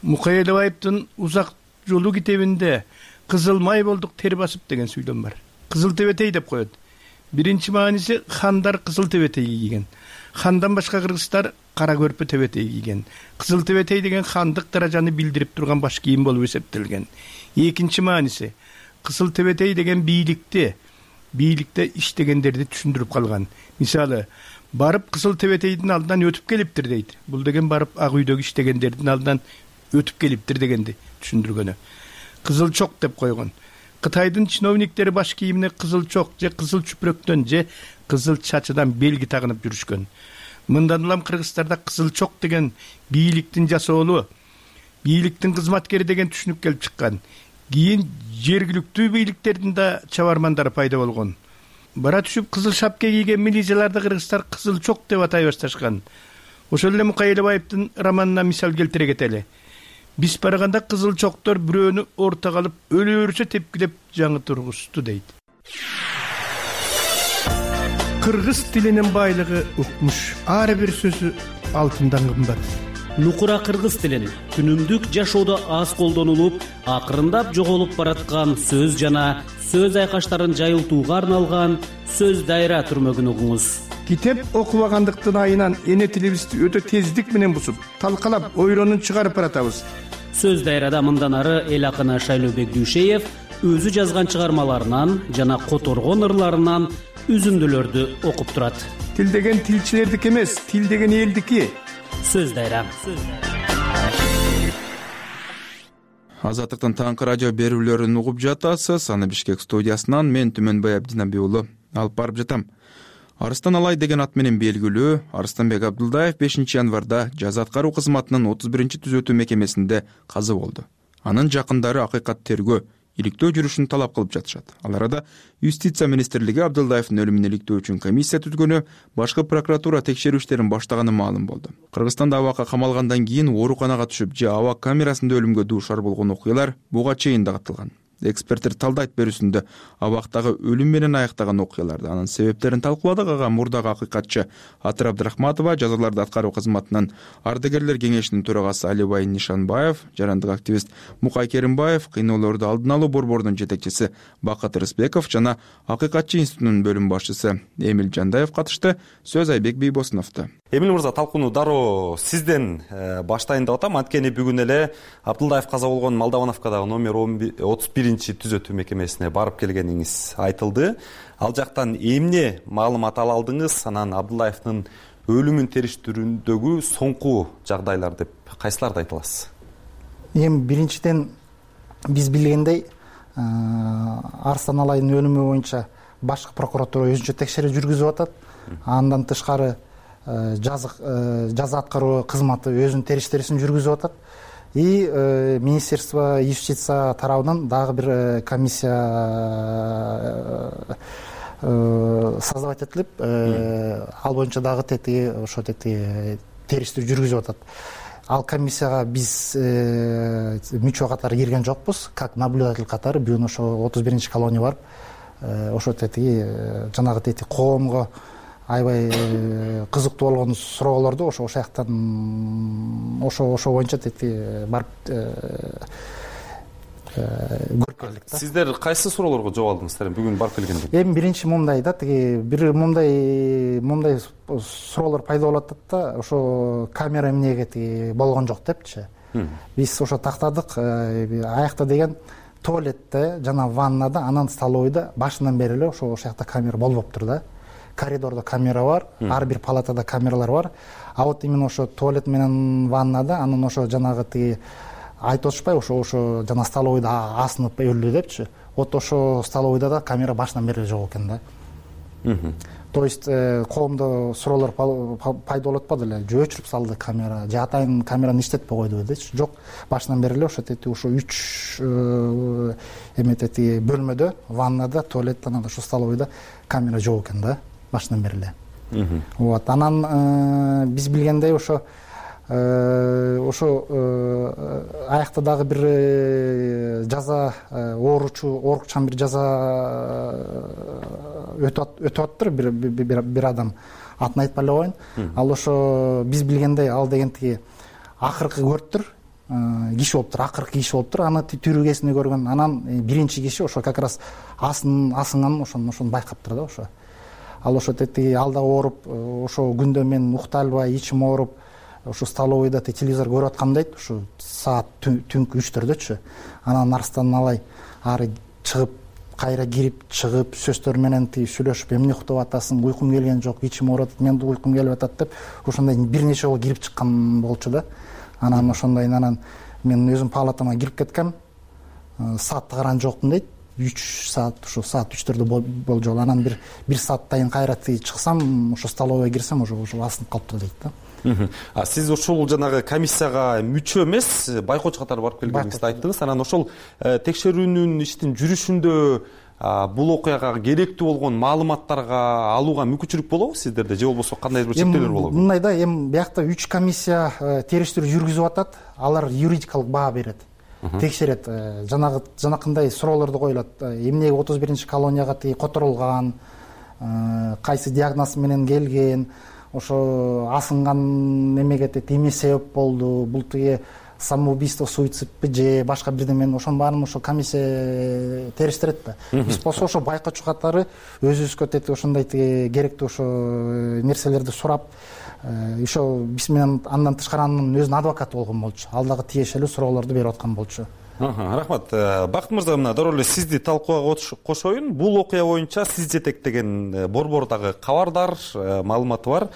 Мукай Элебаевдин Узак жолу китебинде кызыл май болдук тер басып деген сүйлөм бар. Кызыл тебетей деп коет. Биринчи мааниси хандар кызыл тебетей кийген. Хандан башка кыргыздар кара көрпө тебетей кийген. Кызыл тебетей деген хандык даражаны билдирип турган баш кийим болуп эсептелген. Экинчи мааниси кызыл тебетей деген бийликте иштегендерди түшүндүрүп калган. Мисалы, барып кызыл тебетейдин алдынан өтүп келиптир дейт. Бул деген барып ак үйдөгү иштегендердин алдынан өтүп келиптир дегенди түшүндүргөнү. Кызыл чок деп койгон. Кытайдын чиновниктери баш кийимине кызыл чок же кызыл чүпүрөктөн же кызыл чачыдан белги тагынып жүрүшкөн. Мындан улам Кыргызстанда кызыл чок деген бийликтин жасоолу, бийликтин кызматкери деген түшүнүк келип чыккан. Кийин жергиликтүү бийликтердин да чабармандары пайда болгон. Бара түшүп кызыл шапка кийген милицияларды кыргыздар кызыл чок деп атай башташкан. Ошол эле Мукай Элебаевдин романына мисал келтире кетели. Биз барганда кызыл чоктор бирөөнү ортого алып өлөөрүчө тепкилеп жаңы тургузду дейт. Кыргыз тилинин байлыгы укмуш. Ар бир сөзү алтындан кымбат. Нукура кыргыз тилин күнүмдүк жашоодо аз колдонулуп, акырындап жоголуп бараткан сөз жана сөз айкаштарын жайылтууга арналган сөз дайра түрмөгүн угуңуз. Китеп окубагандыктын айынан эне тилибизди өтө тездик менен бузуп, талкалап, ойлонуп чыгарып баратабыз. Сөз дайрада мындан ары эл акыны Шайлообек Дүйшеев өзү жазган чыгармаларынан жана которгон ырларынан үзүндүлөрдү окуп турат. Тил деген тилчилердики эмес, тил деген элдики. Сөз дайра. Азаттыктын таңкы радио берүүлөрүн угуп жатасыз. Аны Бишкек студиясынан мен Түмөнбай Абдинабек уулу алып барып жатам. Арыстан Алай деген ат менен белгилүү Арыстанбек Абдулдаев 5 январда жаза аткаруу кызматынын 31-түзөтүү мекемесинде каза болду. Анын жакындары акыйкат тергөө, иликтөө жүрүшүн талап кылып жатышат. Ал арада Юстиция министрлиги Абдулдаевдин өлүмүн иликтөө үчүн комиссия түзгөнү, башкы прокуратура текшерүү иштерин баштаганы маалым болду. Кыргызстанда абакка камалгандан кийин ооруканага түшүп же абак камерасында өлүмгө дуушар болгон окуялар буга чейин дагытылган. Эксперттер талдайт берүүсүндө абактагы өлүм менен аяктаган окуяларды, анын себептерин талкууладык. Ага мурдагы акыйкатчы Атыр Абдрахматова, жазаларды аткаруу кызматынын ардагерлер кеңешинин төрагасы Алибай Нишанбаев, жарандык активист Мукай Керимбаев, кыйноолорду алдын алуу борборунун жетекчиси Бакыт Рысбеков жана акыйкатчы институтунун бөлүм башчысы Эмил Жандаев катышты. Сөз Айбек Бийбосуновдо. Эмил мырза, талкууну дароо сизден баштайын деп атам. Анткени бүгүн эле Абдулдаев каза болгон Молдовановкадагы номер 31-түзөтүү мекемесине барып келгениңиз айтылды. Ал жактан эмне маалымат ала алдыңыз? Анан Абдулдаевдин өлүмүн териштирүүндөгү соңку жагдайлар деп кайсыларды айта аласыз? Эми биринчиден биз билгендей Арыстан Алайдын өлүмү боюнча башкы прокуратура өзүнчө текшерүү жүргүзүп атат. Андан тышкары жаза аткаруу кызматы өзүнүн териштирүүсүн жүргүзүп атат. И Министерство юстиция тарабынан дагы бир комиссия создавать этилип, ал боюнча дагы териштирүү жүргүзүп атат. Ал комиссияга биз мүчө катары кирген жокпуз, как наблюдатель катары. Бүгүн ошо 31 колония барып, ошо жанагы коомго аябай кызыктуу болгон суроолорду ошо жактан ошо боюнча барып көрүп келдик да. Сиздер кайсы суроолорго жооп алдыңыздар бүгүн барып келгенде? Эми биринчи мындай да, бир мындай суроолор пайда болуп атат да, ошо камера эмнеге болгон жок депчи. Биз ошо тактадык, аякта деген туалетте жана ваннада, анан столовойдо башынан бери эле ошо жакта камера болбоптур да. Коридордо камера бар, ар бир палатада камералар бар. А вот именно ошо туалет менен ваннада, анан ошо жанагы айтып атышпайбы, ошо жана столовойдо асынып өлдү депчи. Вот ошо столовойдо да камера башынан бери жок экен да. То есть коомдо суроолор пайда болуп атпады эле. Же өчүрүп салды камера, же атайын камераны иштетпей койдубу депчи. Жок, башынан бери эле ошо 3 бөлмөдө, ваннада, туалетте, анан ошо столовойдо камера жок экен да. Башынан бери эле. Вот, анан биз билгендей ошо аякта дагы бир жаза оорукчан бир жаза өтүп аттыр бир адам. Атын айтпай эле коеюн. Ал ошо биз билгендей ал деген акыркы көрүптүр. Киши болуптур, акыркы киши болуптур. Аны түрүгесине көргөн. Анан биринчи киши ошо как раз асынган ошону байкаптыр да ошо. Ал ошо ал да ооруп, ошо күндө мен укта албай, ичим ооруп, ошо столовойдо телевизор көрүп аткам дейт, ошо саат түнкү 3-4дөчү. Анан Арыстан Алай ары чыгып, кайра кирип, чыгып, сөздөр менен сүйлөшүп, эмне уктап атасың, уйкум келген жок, ичим ооруп атат, мен уйкум келип атат деп, ошондой бир нече жолу кирип чыккан болчу да. Анан ошондой, анан мен өзүм палатама кирип кеткем, саатты караган жокмун дейт. 3 саат, ушу саат 3-төрдө болжол. Анан бир сааттайын кайра чыксам, ошо столовойго кирсем, уже асынып калыптыр дейт да. Сиз ушул жанагы комиссияга мүчө эмес, байкоочу катары барып келгениңизди айттыңыз. Анан ошол текшерүүнүн иштин жүрүшүндө бул окуяга керектүү болгон маалыматтарга алууга мүмкүнчүлүк болобу сиздерде, же болбосо кандайдыр бир чектөөлөр болобу? Мындай да, эми биякта 3 комиссия териштирүү жүргүзүп атат. Алар юридикалык баа берет, текшерет, жанакындай суроолорду коюлат. Эмнеге 31 колонияга которулган, кайсы диагноз менен келген, ошо асынган эмеге эмне себеп болду, бул самоубийство, суицидпи же башка бирдемени, ошонун баарын ошо комиссия териштирет да. Биз болсо ошо байкоочу катары өзүбүзгө ошондой керектүү ошо нерселерди сурап, ошо биз менен андан тышкары анын өзүнүн адвокаты болгон болчу. Ал дагы тиешелүү суроолорду берип аткан болчу. Рахмат. Бакыт мырза, мына дароо эле сизди талкууга кошоюн. Бул окуя боюнча сиз жетектеген борбордагы кабардар, маалыматы бар.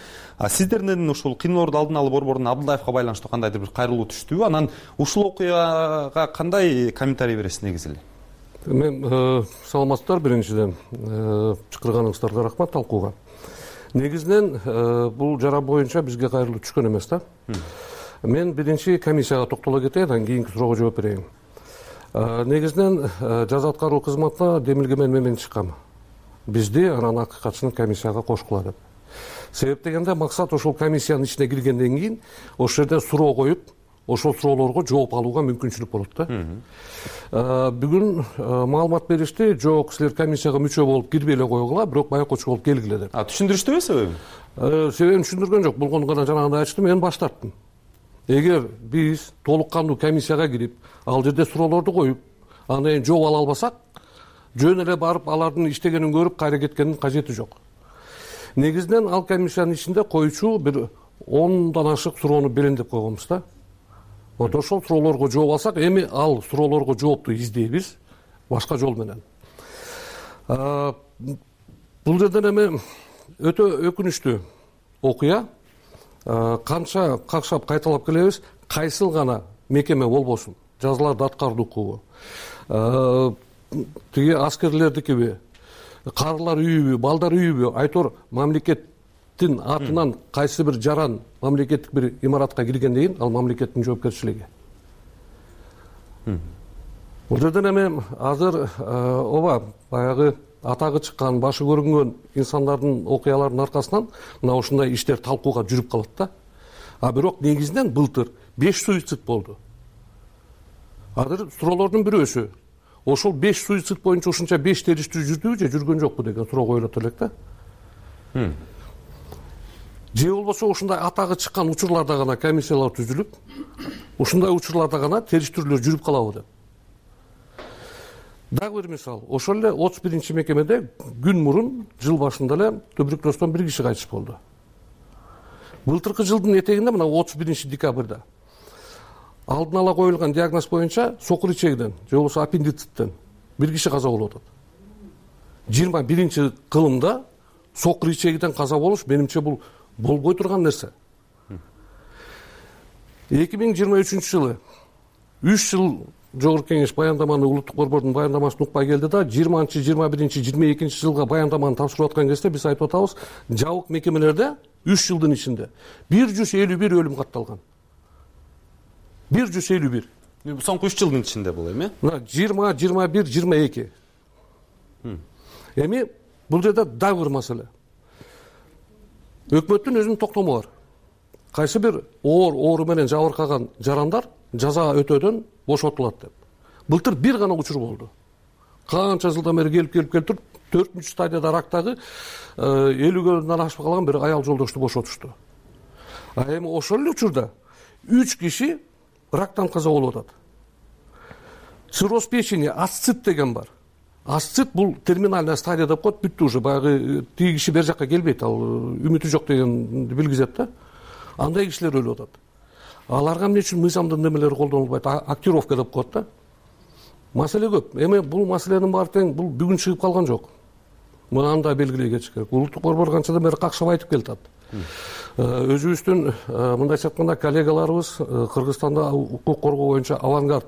Сиздердин ушул кыйноолорду алдын алуу борборунун Абдылдаевка байланыштуу кандайдыр бир кайрылуу түштүбү? Анан ушул окуяга кандай комментарий бересиз негизи эле? Мен саламатсыздар, биринчиден чакырганыңыздарга рахмат талкууга. Негизинен бул жара боюнча бизге кайрылуу түшкөн эмес да. Мен биринчи комиссияга токтоло кетейин, андан кийинки суроого жооп берейин. Негизинен жаза аткаруу кызматына демилгемен менен чыккам. Бизди анан акыйкатчыны комиссияга кошкула деп. Себеп дегенде максат ошол комиссиянын ичине киргенден кийин ошол жерде суроо коюп, ошол суроолорго жооп алууга мүмкүнчүлүк болот да. Бүгүн маалымат беришти, жок, силер комиссияга мүчө болуп кирбей эле койгула, бирок байкоочу болуп келгиле деп. Түшүндүрүштүбү себебин? Себебин түшүндүргөн жок. Болгону гана жанагындай ачтым, мен баш тарттым. Эгер биз толук кандуу комиссияга кирип, ал жерде суроолорду коюп, андан кийин жооп ала албасак, жөн эле барып алардын иштегенин көрүп кайра кеткенин кажети жок. Негизинен ал комиссиянын ичинде коючу бир 10дан ашык суроону берен деп койгонбуз да. Вот ошол суроолорго жооп алсак, эми ал суроолорго жоопту издейбиз башка жол менен. Бул жерден эми өтө өкүнүчтүү окуя. Канча какшап кайталап келебиз, кайсыл гана мекеме болбосун, жазаларды аткаруу укугу, тиги аскерлердикиби, карылар үйүбү, балдар үйүбү, айтор мамлекеттин атынан кайсы бир жаран мамлекеттик бир имаратка киргенден кийин ал мамлекеттин жоопкерчилиги. Бул жерден эми азыр ооба баягы атагы чыккан, башы көрүнгөн инсандардын окуяларынын аркасынан мына ушундай иштер талкууга жүрүп калат да. Бирок негизинен былтыр 5 суицид болду. Азыр суроолордун бирөөсү ошол 5 суицид боюнча ушунча 5 териштирүү жүрдүбү же жүргөн жокпу деген суроо коюлат элек да. Же болбосо ушундай атагы чыккан учурларда гана комиссиялар түзүлүп, ушундай учурларда гана териштирүүлөр жүрүп калабы деп. Дагы бир мисал, ошол эле 31 мекемеде күн мурун жыл башында эле туберкулездон бир киши кайтыш болду. Былтыркы жылдын этегинде мына 31 декабрда алдын ала коюлган диагноз боюнча сокур ичегиден же болбосо аппендициттен бир киши каза болуп атат. 21 кылымда сокур ичегиден каза болуш менимче бул болбой турган нерсе. 2023 жылы 3 жыл Жогорку кеңеш баяндаманы улуттук борбордун баяндамасын укпай келди да 20, 21, 22 жылга баяндаманы тапшырып аткан кезде биз айтып атабыз, жабык мекемелерде 3 жылдын ичинде 151 өлүм катталган. 151. Соңку 3 жылдын ичинде бул эми? Мына 20, 21, 22. Эми бул жерде дагы бир маселе. Өкмөттүн өзүнүн токтому бар. Кайсы бир оору менен жабыркаган жарандар жаза өтөөдөн бошотулат деп. Былтыр бир гана учур болду. Канча жылдан бери келип туруп 4-үнчү стадияда рактагы 50-дөн ашып калган бир аял жолдошту бошотушту. Эми ошол эле учурда 3 киши рактан каза болуп атат. Цирроз печени, асцит деген бар. Асцит бул терминальная стадия деп коет, бүттү уже, баягы тиги киши бер жакка келбейт, ал үмүтү жок дегенди билгизет да. Андай кишилер өлүп атат. Аларга эмне үчүн мыйзамдын немелери колдонулбайт? Актировка деп коет да. Маселе көп. Эми бул маселенин баары тең бул бүгүн чыгып калган жок. Мунаны да белгилей кетиш керек. Улуттук борбор канчадан бери какшап айтып келатат. Өзүбүздүн мындайча айтканда коллегаларыбыз Кыргызстанда укук коргоо боюнча авангард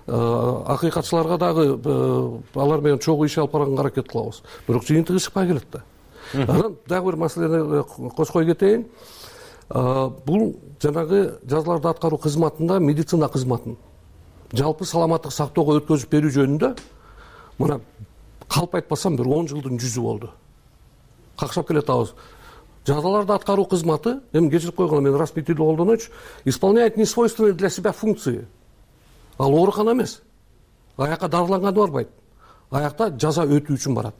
акыйкатчыларга дагы алар менен чогуу иш алып барганга аракет кылабыз, бирок жыйынтыгы чыкпай келет да. Анан дагы бир маселени кошкой кетейин. Бул жанагы жазаларды аткаруу кызматында медицина кызматын жалпы саламаттык сактоого өткөзүп берүү жөнүндө мына калп айтпасам бир 10 жылдын жүзү болду. Какшап келатабыз. Жазаларды аткаруу кызматы, эми кечирип койгоно мен раз бир тилде колдоночу, исполняет несвойственные для себя функции. Ал оорукана эмес. Аякка дарыланганы барбайт. Аякта жаза өтүү үчүн барат.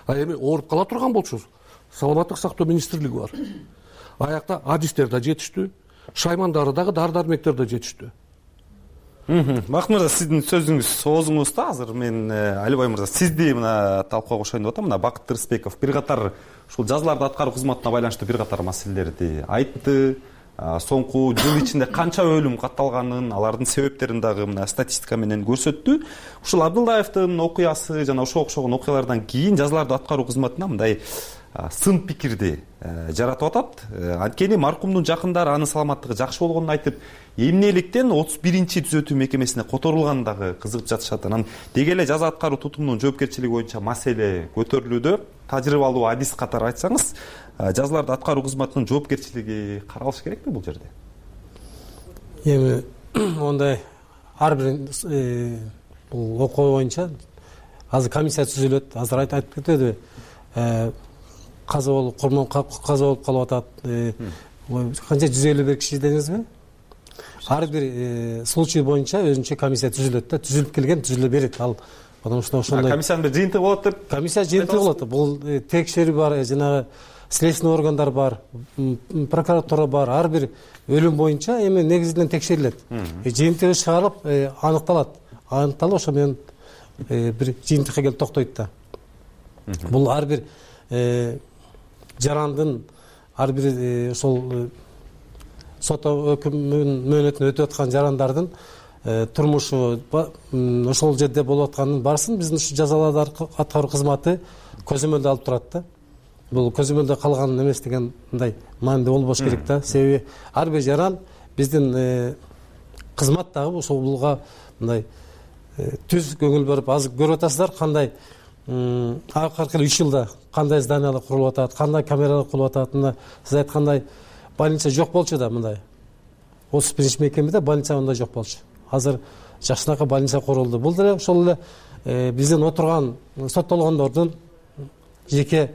А эми ооруп кала турган болчубуз, саламаттык сактоо министрлиги бар. Аякта адистер да жетиштүү, шаймандары дагы дары-дармектер да жетиштүү. Бакыт мырза, сиздин сөзүңүз оозуңузда азыр мен Алибай мырза сизди мына талкууга кошоюн деп атам. Мына Бакыт Рыспеков бир катар ушул жазаларды аткаруу кызматына байланыштуу бир катар маселелерди айтты. Соңку жыл ичинде канча өлүм катталганын, алардын себептерин дагы мына статистика менен көрсөттү. Ушул Абдылдаевдин окуясы жана ошого окшогон окуялардан кийин жазаларды аткаруу кызматына мындай сын пикирди жаратып атат. Анткени маркумдун жакындары анын саламаттыгы жакшы болгонун айтып, эмнеликтен 31-түзөтүү мекемесине которулганын дагы кызыгып жатышат. Анан деги эле жаза аткаруу тутумунун жоопкерчилиги боюнча маселе көтөрүлүүдө. Тажрыйбалуу адис катары айтсаңыз, жазаларды аткаруу кызматынын жоопкерчилиги каралышы керекпи бул жерде? Эми ондай ар бир бул окуу боюнча азыр комиссия түзүлөт. Азыр айтып кетеби, каза болуп калып атат. Канча 151 киши дедиңизби? Ар бир случай боюнча өзүнчө комиссия түзүлөт да, түзүлүп келген түзүлө берет. Ал потому что ошондой комиссиянын бир жыйынтыгы болот деп. Комиссия жыйынтыгы болот. Бул текшерүү бар, жанагы следственный органдар бар, прокуратура бар. Ар бир өлүм боюнча эми негизинен текшерилет. Жыйынтыгы чыгарылып аныкталат. Аныкталып ошо менен бир жыйынтыкка келип токтойт да. Бул ар бир жарандын, ар бир ошол сот өкүмүнүн мөөнөтүн өтүп аткан жарандардын турмушу ошол жерде болуп атканын барсын биздин ушу жазаларды аткаруу кызматы көзөмөлдө алып турат да. Бул көзөмөлдө калган эмес деген мындай маанидүү болбош керек да. Себеби ар бир жаран биздин кызмат дагы ошолга мындай түз көңүл берип азыр көрүп атасыздар кандай акыркы 3 жылда кандай зданиялар курулуп атат, кандай камералар курулуп атат. Мына сиз айткандай больница жок болчу да, мындай 31 мекемеде больница мындай жок болчу. Азыр жакшынакай больница курулду. Бул деле ошол эле биздин отурган соттолгондордун жеке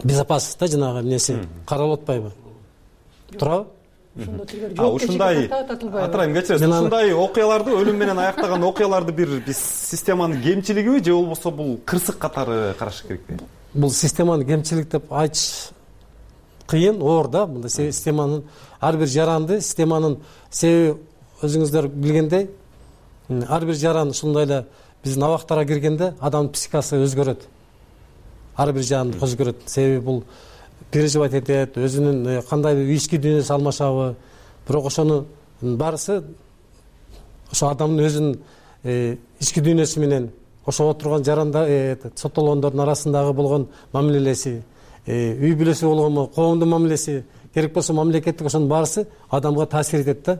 безопасность да жанагы эмнеси каралып атпайбы? Турабы? Ушундай атырайым кечиресиз. Ушундай окуяларды, өлүм менен аяктаган окуяларды биз системанын кемчилигиби же болбосо бул кырсык катары караш керекпи? Бул системанын кемчилик деп айтыш кыйын, оор да. Мында системанын ар бир жаранды системанын себеби өзүңүздөр билгендей, ар бир жаран ушундай эле биздин абактарга киргенде адамдын психикасы өзгөрөт. Ар бир жаранды өзгөрөт. Себеби бул переживать этет, өзүнүн кандай ички дүйнөсү алмашабы. Бирок ошонун баарысы ошо адамдын өзүнүн ички дүйнөсү менен ошо отурган жарандар, соттолгондордун арасындагы болгон мамилеси, үй бүлөсү болгонбу, коомдун мамилеси, керек болсо мамлекеттик, ошонун баарысы адамга таасир этет да.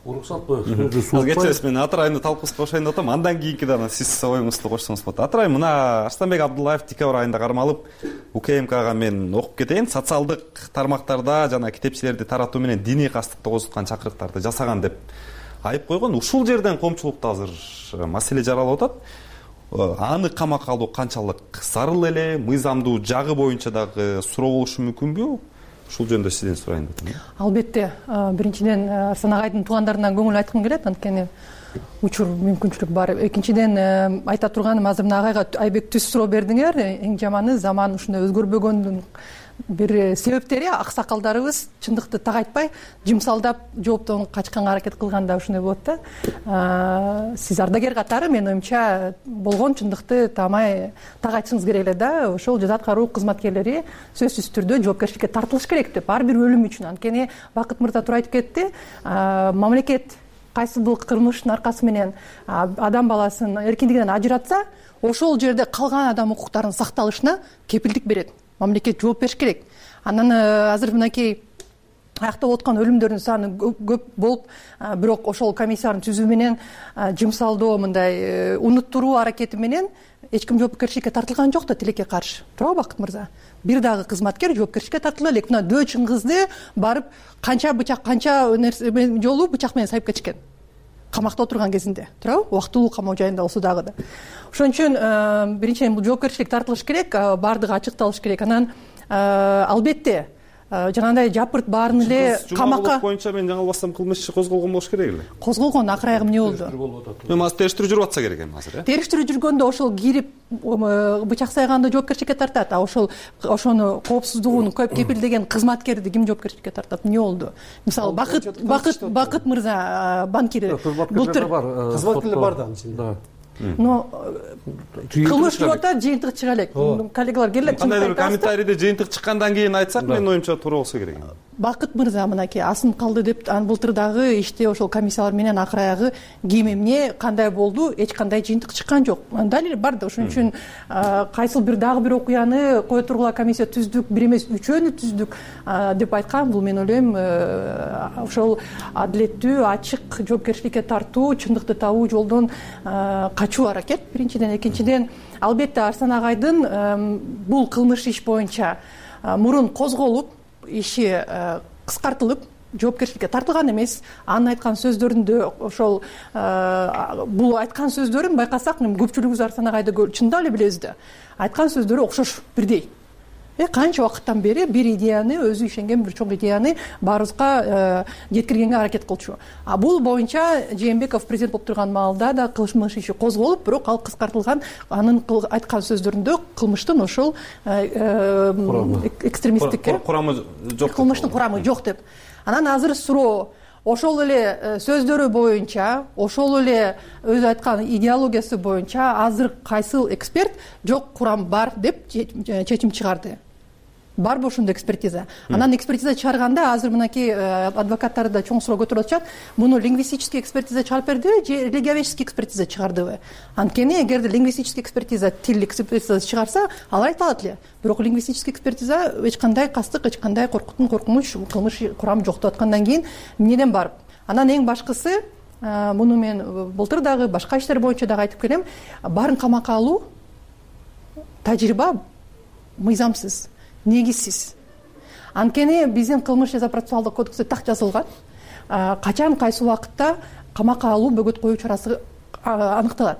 Уруксатпы? Кечиресиз, мен Атырайымды талкуусуна кошоюн деп атам. Андан кийинки дагы сиз оюңузду кошсоңуз болот. Атырайым, мына Арстанбек Абдуллаев декабрь айында кармалып, УКМКга мен окуп кетейин. Социалдык тармактарда жана китепчилерди таратуу менен диний кастыкты козуткан чакырыктарды жасаган деп айып койгон. Ушул жерден коомчулукта азыр маселе жаралып атат. Аны камакка алуу канчалык зарыл эле, мыйзамдуу жагы боюнча дагы суроо болушу мүмкүнбү? Ушул жөнүндө сизден сурайын деп атам. Албетте, биринчиден Арсан агайдын туугандарына көңүл айткым келет, анткени учур мүмкүнчүлүк бар. Экинчиден айта турганым, азыр мына агайга айбек түз суроо бердиңер. Эң жаманы заман ушундай өзгөрбөгөндүн бир себептери аксакалдарыбыз чындыкты так айтпай, жымсалдап жооптон качканга аракет кылганда ушундай болот да. Сиз ардагер катары мен оюмча болгон чындыкты так айтышыңыз керек эле да. Ошол жаза аткаруу кызматкерлери сөзсүз түрдө жоопкерчиликке тартылыш керек деп, ар бир өлүм үчүн. Анткени Бакыт мырза туура айтып кетти, мамлекет кайсы бир кылмыштын аркасы менен адам баласын эркиндигинен ажыратса, ошол жерде калган адам укуктарынын сакталышына кепилдик берет. Мамлекет жооп бериш керек. Анан азыр мынакей аяктап аткан өлүмдөрдүн саны көп болуп, бирок ошол комиссиянын түзүү менен жумсалдоо мындай унуттуруу аракети менен эч ким жоопкерчиликке тартылган жок да тилекке каршы. Туурабы Бакыт мырза? Бир дагы кызматкер жоопкерчиликке тартыла элек. Мына дөөчүн кызды барып канча жолу бычак менен сайып кетишкен. Камакта отурган кезинде, туурабы? Убактылуу камоо жайында болсо дагы да. Ошон үчүн биринчиден бул жоопкерчилик тартылыш керек, баардыгы ачыкталыш керек. Анан албетте жанагындай жапырт баарын эле камакка боюнча мен жаңылбасам кылмыш иши козголгон болуш керек эле. Козголгон, акыр аягы эмне болду? Эми азыр териштирүү жүрүп атса керек эми азыр, Териштирүү жүргөндө ошол кирип бычак сайганда жоопкерчиликке тартат. Ошону коопсуздугун көп кепилдеген кызматкерди ким жоопкерчиликке тартат? Эмне болду? Мисалы Бакыт мырза банкир былтыр кызматкерлер бар да анын ичинде. Но кылмыш жүрүп атат, жыйынтык чыга элек. Коллегалар келип кандайдыр комментарийде жыйынтык чыккандан кийин айтсак, менин оюмча туура болсо керек. Бакыт мырза мынакей асынып калды деп, былтыр дагы иште ошол комиссиялар менен акыр аягы ким эмне кандай болду, эч кандай жыйынтык чыккан жок. Далил бар да. Ошон үчүн кайсыл дагы бир окуяны кое тургула комиссия түздүк, бир эмес үчөөнү түздүк деп айткан. Бул мен ойлойм ошол адилеттүү, ачык жоопкерчиликке тартуу, чындыкты табуу жолдон качуу аракет биринчиден. Экинчиден, албетте Арсан агайдын бул кылмыш иш боюнча мурун козголуп, иши кыскартылып, жоопкерчиликке тартылган эмес. Анын айткан сөздөрүндө ошол бул айткан сөздөрүн байкасак, көпчүлүгүбүз Арсан агайды чындап эле билебиз да. Айткан сөздөрү окшош, бирдей. Канча убакыттан бери бир идеяны, өзү ишенген бир чоң идеяны баарыбызга жеткиргенге аракет кылчу. Бул боюнча Жээнбеков президент болуп турган маалда да кылмыш иши козголуп, бирок ал кыскартылган. Анын айткан сөздөрүндө кылмыштын ошол экстремисттик курамы жок, кылмыштын курамы жок деп. Анан азыр суроо ошол эле сөздөрү боюнча, ошол эле өзү айткан идеологиясы боюнча азыр кайсыл эксперт жок, курам бар деп чечим чыгарды. Барбы ошондой экспертиза? Анан экспертиза чыгарганда азыр мынакей адвокаттар да чоң суроо көтөрүп атышат. Муну лингвистический экспертиза чыгарып бердиби же религиоведческий экспертиза чыгардыбы? Анткени эгерде лингвистический экспертиза, тилдик экспертиза чыгарса, ал айта алат эле. Бирок лингвистический экспертиза эч кандай кастык, эч кандай коркунуч, кылмыш курамы жок деп аткандан кийин эмнеден барып? Анан эң башкысы, муну мен былтыр дагы башка иштер боюнча дагы айтып келем, баарын камакка алуу тажрыйба мыйзамсыз, негизсиз. Анткени биздин кылмыш жаза процессуалдык кодексте так жазылган. Качан, кайсы убакытта камакка алуу, бөгөт коюу чарасы аныкталат.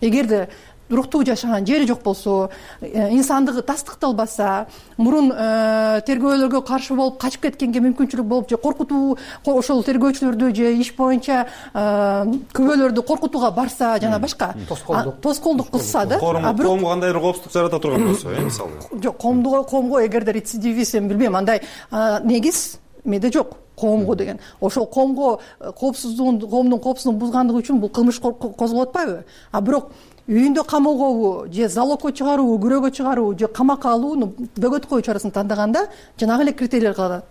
Эгерде уруктуу жашаган жери жок болсо, инсандыгы тастыкталбаса, мурун тергөөлөргө каршы болуп качып кеткенге мүмкүнчүлүк болуп, же коркутуу ошол тергөөчүлөрдү же иш боюнча күбөлөрдү коркутууга барса, жана башка тоскоолдук кылса да, коомго кандайдыр коопсуздук жарата турган болсо, мисалы. Жок, коомго эгерде рецидивист, эми билбейм, андай негиз эмеде жок. Коомго деген. Ошол коомго коопсуздугун, коомдун коопсуздугун бузгандыгы үчүн бул кылмыш козголуп атпайбы? Бирок үйүндө камоогобу же залогко чыгаруубу, күрөөгө чыгаруубу же камакка алууну, бөгөт коюу чарасын тандаганда жанагы эле критерийлер калат.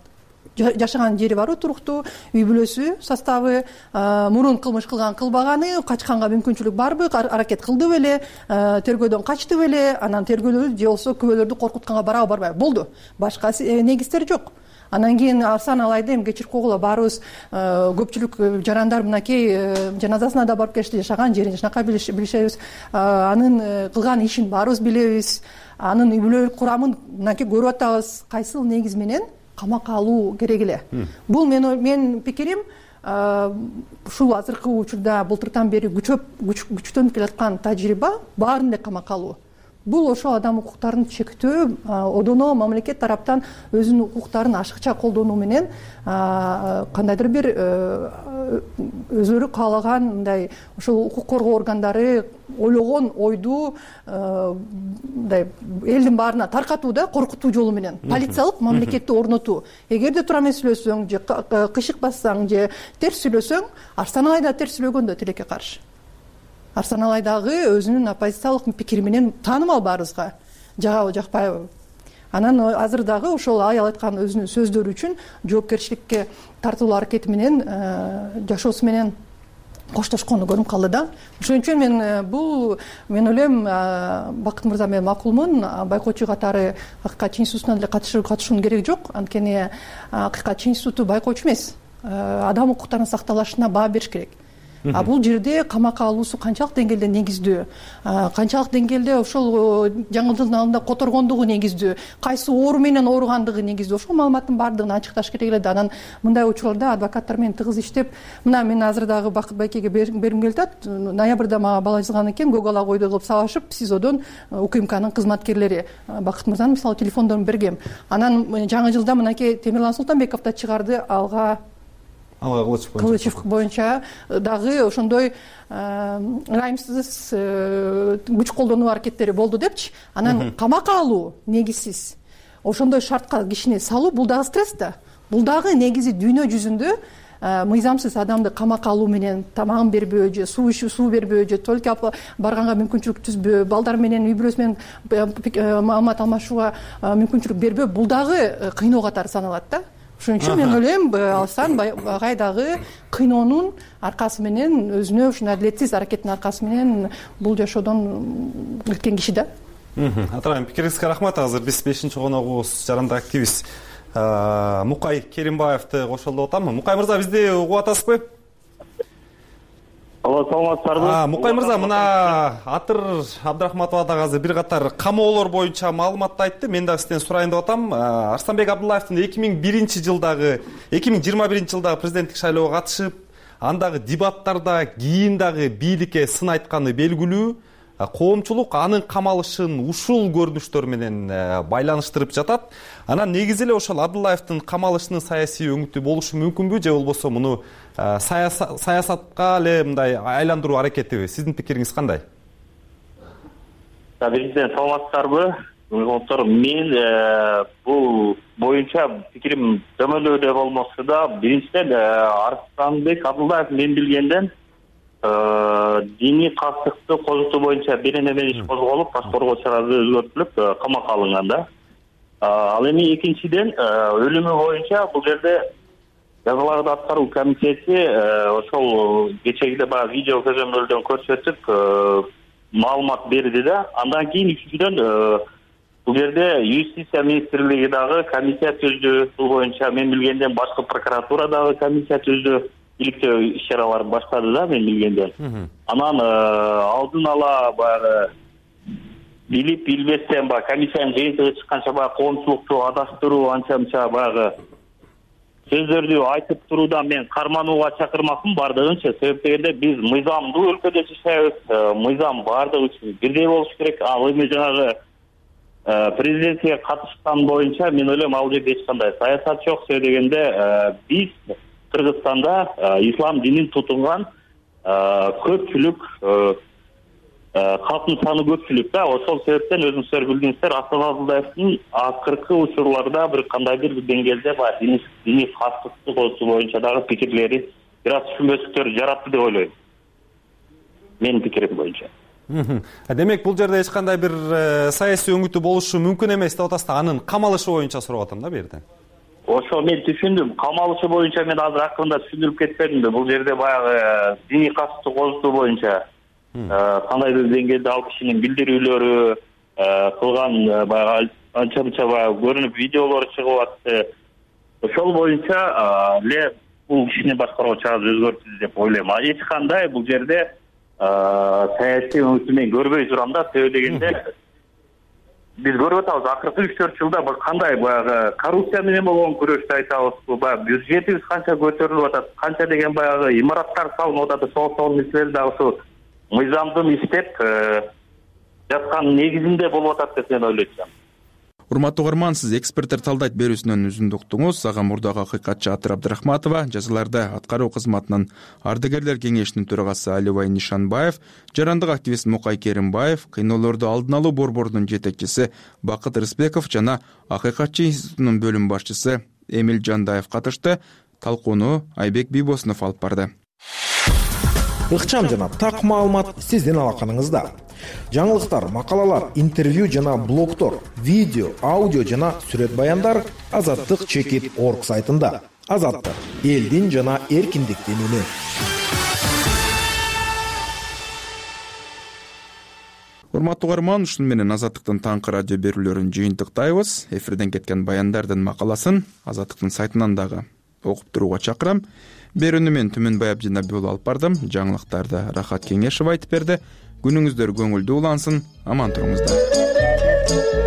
Жашаган жери барбы туруктуу, үй бүлөсү составы, мурун кылмыш кылган, кылбаганы, качканга мүмкүнчүлүк барбы, аракет кылды беле, тергөөдөн качты беле, анан тергөөлөрдү же болбосо күбөлөрдү коркутканга барабы, барбайбы? Болду. Башка негиздер жок. Анан кийин Арсан алайды эми кечирип койгула, баарыбыз көпчүлүк жарандар мынакей жаназасына да барып келишти, жашаган жерин жакшынакай билишебиз, анын кылган ишин баарыбыз билебиз, анын үй бүлөлүк курамын мынакей көрүп атабыз. Кайсыл негиз менен камакка алуу керек эле? Бул менин пикирим, ушул азыркы учурда былтыртан бери күчтөнүп келаткан тажрыйба баарын эле камакка алуу. Бул ошол адам укуктарын чектөө, одоно мамлекет тараптан өзүнүн укуктарын ашыкча колдонуу менен кандайдыр бир өзүлөрү каалаган мындай ошол укук коргоо органдары ойлогон ойду мындай элдин баарына таркатуу да, коркутуу жолу менен полициялык мамлекетти орнотуу. Эгерде туура эмес сүйлөсөң же кышык бассаң же терс сүйлөсөң, Арсан агай да терс сүйлөгөн да тилекке каршы. Арсан агай дагы өзүнүн оппозициялык пикири менен таанымал баарыбызга, жагабы жакпайбы. Анан азыр дагы ошол аял айткан өзүнүн сөздөрү үчүн жоопкерчиликке тартылуу аракети менен жашоосу менен коштошкону көрүнүп калды да. Ошон үчүн мен ойлойм Бакыт мырза менен макулмун. Байкоочу катары Акыйкат чыйын институтуна деле катышуунун кереги жок. Анткени Акыйкат чыйын институту байкоочу эмес. Адам укуктарынын сакталышына баа бериш керек. Бул жерде камакка алуусу канчалык деңгээлде негиздүү, канчалык деңгээлде ошол жаңылдын алдында которгондугу негиздүү, кайсы оору менен ооругандыгы негиздүү, ошол маалыматтын баардыгын ачыкташ керек эле да. Анан мындай учурларда адвокаттар менен тыгыз иштеп, мына мен азыр дагы Бакыт байкеге бергим келип атат. Ноябрда мага бала жазган экен, Google ала койду кылып салышып, СИЗОдон УКМКнын кызматкерлери. Бакыт мырзанын мисалы телефондорун бергем. Анан жаңы жылда мынакей Темирлан Султанбеков да чыгарды, Алга Кылычев боюнча дагы ошондой ырайымсыз күч колдонуу аракеттери болду депчи. Анан камакка алуу негизсиз, ошондой шартка кишини салуу бул дагы стресс да. Бул дагы негизи дүйнө жүзүндө мыйзамсыз адамды камакка алуу менен тамагын бербөө же суу бербөө же туалетке барганга мүмкүнчүлүк түзбөө, балдар менен үй бүлөсү менен маалымат алмашууга мүмкүнчүлүк бербөө, бул дагы кыйноо катары саналат да. Ошон үчүн мен ойлойм, алсан багай дагы кыйноонун аркасы менен, өзүнө ушундай адилетсиз аракеттин аркасы менен бул жашоодон өткөн киши да. Атайын пикириңизге рахмат. Азыр биз 5-чи коногубуз жарандык активист Мукай Керимбаевди кошолдуп атам. Мукай мырза, бизди угуп атасызбы? Саламатсыздарбы? Мукай мырза, мына Атыр Абдрахматова дагы азыр бир катар камоолор боюнча маалыматты айтты. Мен дагы сизден сурайын деп атам. Арстанбек Абдуллаевдин 2021 жылдагы президенттик шайлоого катышып, андагы дебаттарда кийин дагы бийликке сын айтканы белгилүү. Коомчулук анын камалышын ушул көрүнүштөр менен байланыштырып жатат. Анан негизи эле ошол Абдуллаевдин камалышынын саясий өңүтү болушу мүмкүнбү, же болбосо муну саясатка эле мындай айландыруу аракетиби? Сиздин пикириңиз кандай? Биринчиден саламатсыздарбы? Мен бул боюнча пикирим дөмөлөөдө болмосо да, биринчиден Арстанбек Абдуллаев мен билгенден диний кастыкты козутуу боюнча беренеме иш козголуп, паспорт чарасы өзгөртүлүп, камакка алынган да. Ал эми экинчиден өлүмү боюнча бул жерде жазаларды аткаруу комитети ошол кечеги баягы видео көзөмөлдөн көрсөтүп маалымат берди да. Андан кийин үчүнчүдөн бул жерде юстиция министрлиги дагы комиссия түздү. Бул боюнча мен билгенден башкы прокуратура дагы комиссия түздү. Иликтөө иш-чаралар баштады да мен билгенден. Анан алдын ала баягы билип билбестен баягы комиссиянын жыйынтыгы чыкканча баягы коомчулукту адаштыруу, анча-мынча баягы сөздөрдү айтып туруудан мен карманууга чакырмакмын бардыгынча. Себеп дегенде биз мыйзамдуу өлкөдө жашайбыз. Мыйзам бардыгы үчүн бирдей болуш керек. Ал эми жанагы президентке катышкан боюнча мен ойлойм ал жерде эч кандай саясат жок. Себеп дегенде биз Кыргызстанда ислам динин тутунган көпчүлүк калктын саны көпчүлүк да. Ошол себептен өзүңүздөр билдиңиздер, Аслан Абдуллаевдин акыркы учурларда бир кандайдыр бир деңгээлде диний кастыкты козутуу боюнча дагы пикирлери бир аз түшүнбөстүктөр жаратты деп ойлойм. Менин пикирим боюнча. Демек бул жерде эч кандай бир саясий өңүтү болушу мүмкүн эмес деп атасыздар. Анын камалышы боюнча сурап атам да бу жерде. Ошо мен түшүндүм. Камалышы боюнча мен азыр акырында түшүндүрүп кетпедим да. Бул жерде баягы диний кастыкты козутуу боюнча кандайдыр деңгээлде ал кишинин билдирүүлөрү кылган баягы анча-мынча баягы көрүнүп видеолор чыгып атты. Ошол боюнча эле бул кишини башкаруу чарасы өзгөртүлдү деп ойлойм. Эч кандай бул жерде саясий өңүтү мен көрбөй турам да. Себеп дегенде биз көрүп атабыз, акыркы 3-4 жылда кандай баягы коррупция менен болгон күрөштү айтабыз. Баягы бюджетибиз канча көтөрүлүп атат, канча деген баягы имараттар салынып атат. Ошол нерселер дагы ушу мыйзамдын иштеп жаткан негизинде болуп атат деп мен ойлойм. Урматтуу угарман, сиз эксперттер талдайт берүүсүнөн үзүндү уктуңуз. Ага мурдагы акыйкатчы Атыр Абдрахматова, жазаларда аткаруу кызматынын ардагерлер кеңешинин төрагасы Алибай Нишанбаев, жарандык активист Мукай Керимбаев, кыйноолорду алдын алуу борборунун жетекчиси Бакыт Рыспеков жана акыйкатчы институтунун бөлүм башчысы Эмил Жандаев катышты. Талкууну Айбек Бийбосунов алып барды. Ыкчам жана так маалымат сиздин алаканыңызда. Жаңылыктар, макалалар, интервью жана блогтор, видео, аудио жана сүрөт баяндар Азаттык.org сайтында. Азаттык — элдин жана эркиндиктин үнү. урматтуу угарман, ушуну менен Азаттыктын таңкы радио берүүлөрүн жыйынтыктайбыз. Эфирден кеткен баяндардын макаласын Азаттыктын сайтынан дагы окуп турууга чакырам. Берүүнү мен Түмөнбай Абдинаби уулу алып бардым. Жаңылыктарды Рахат Кеңешев айтып берди. Күнүңүздөр көңүлдүү улансын, аман туруңуздар.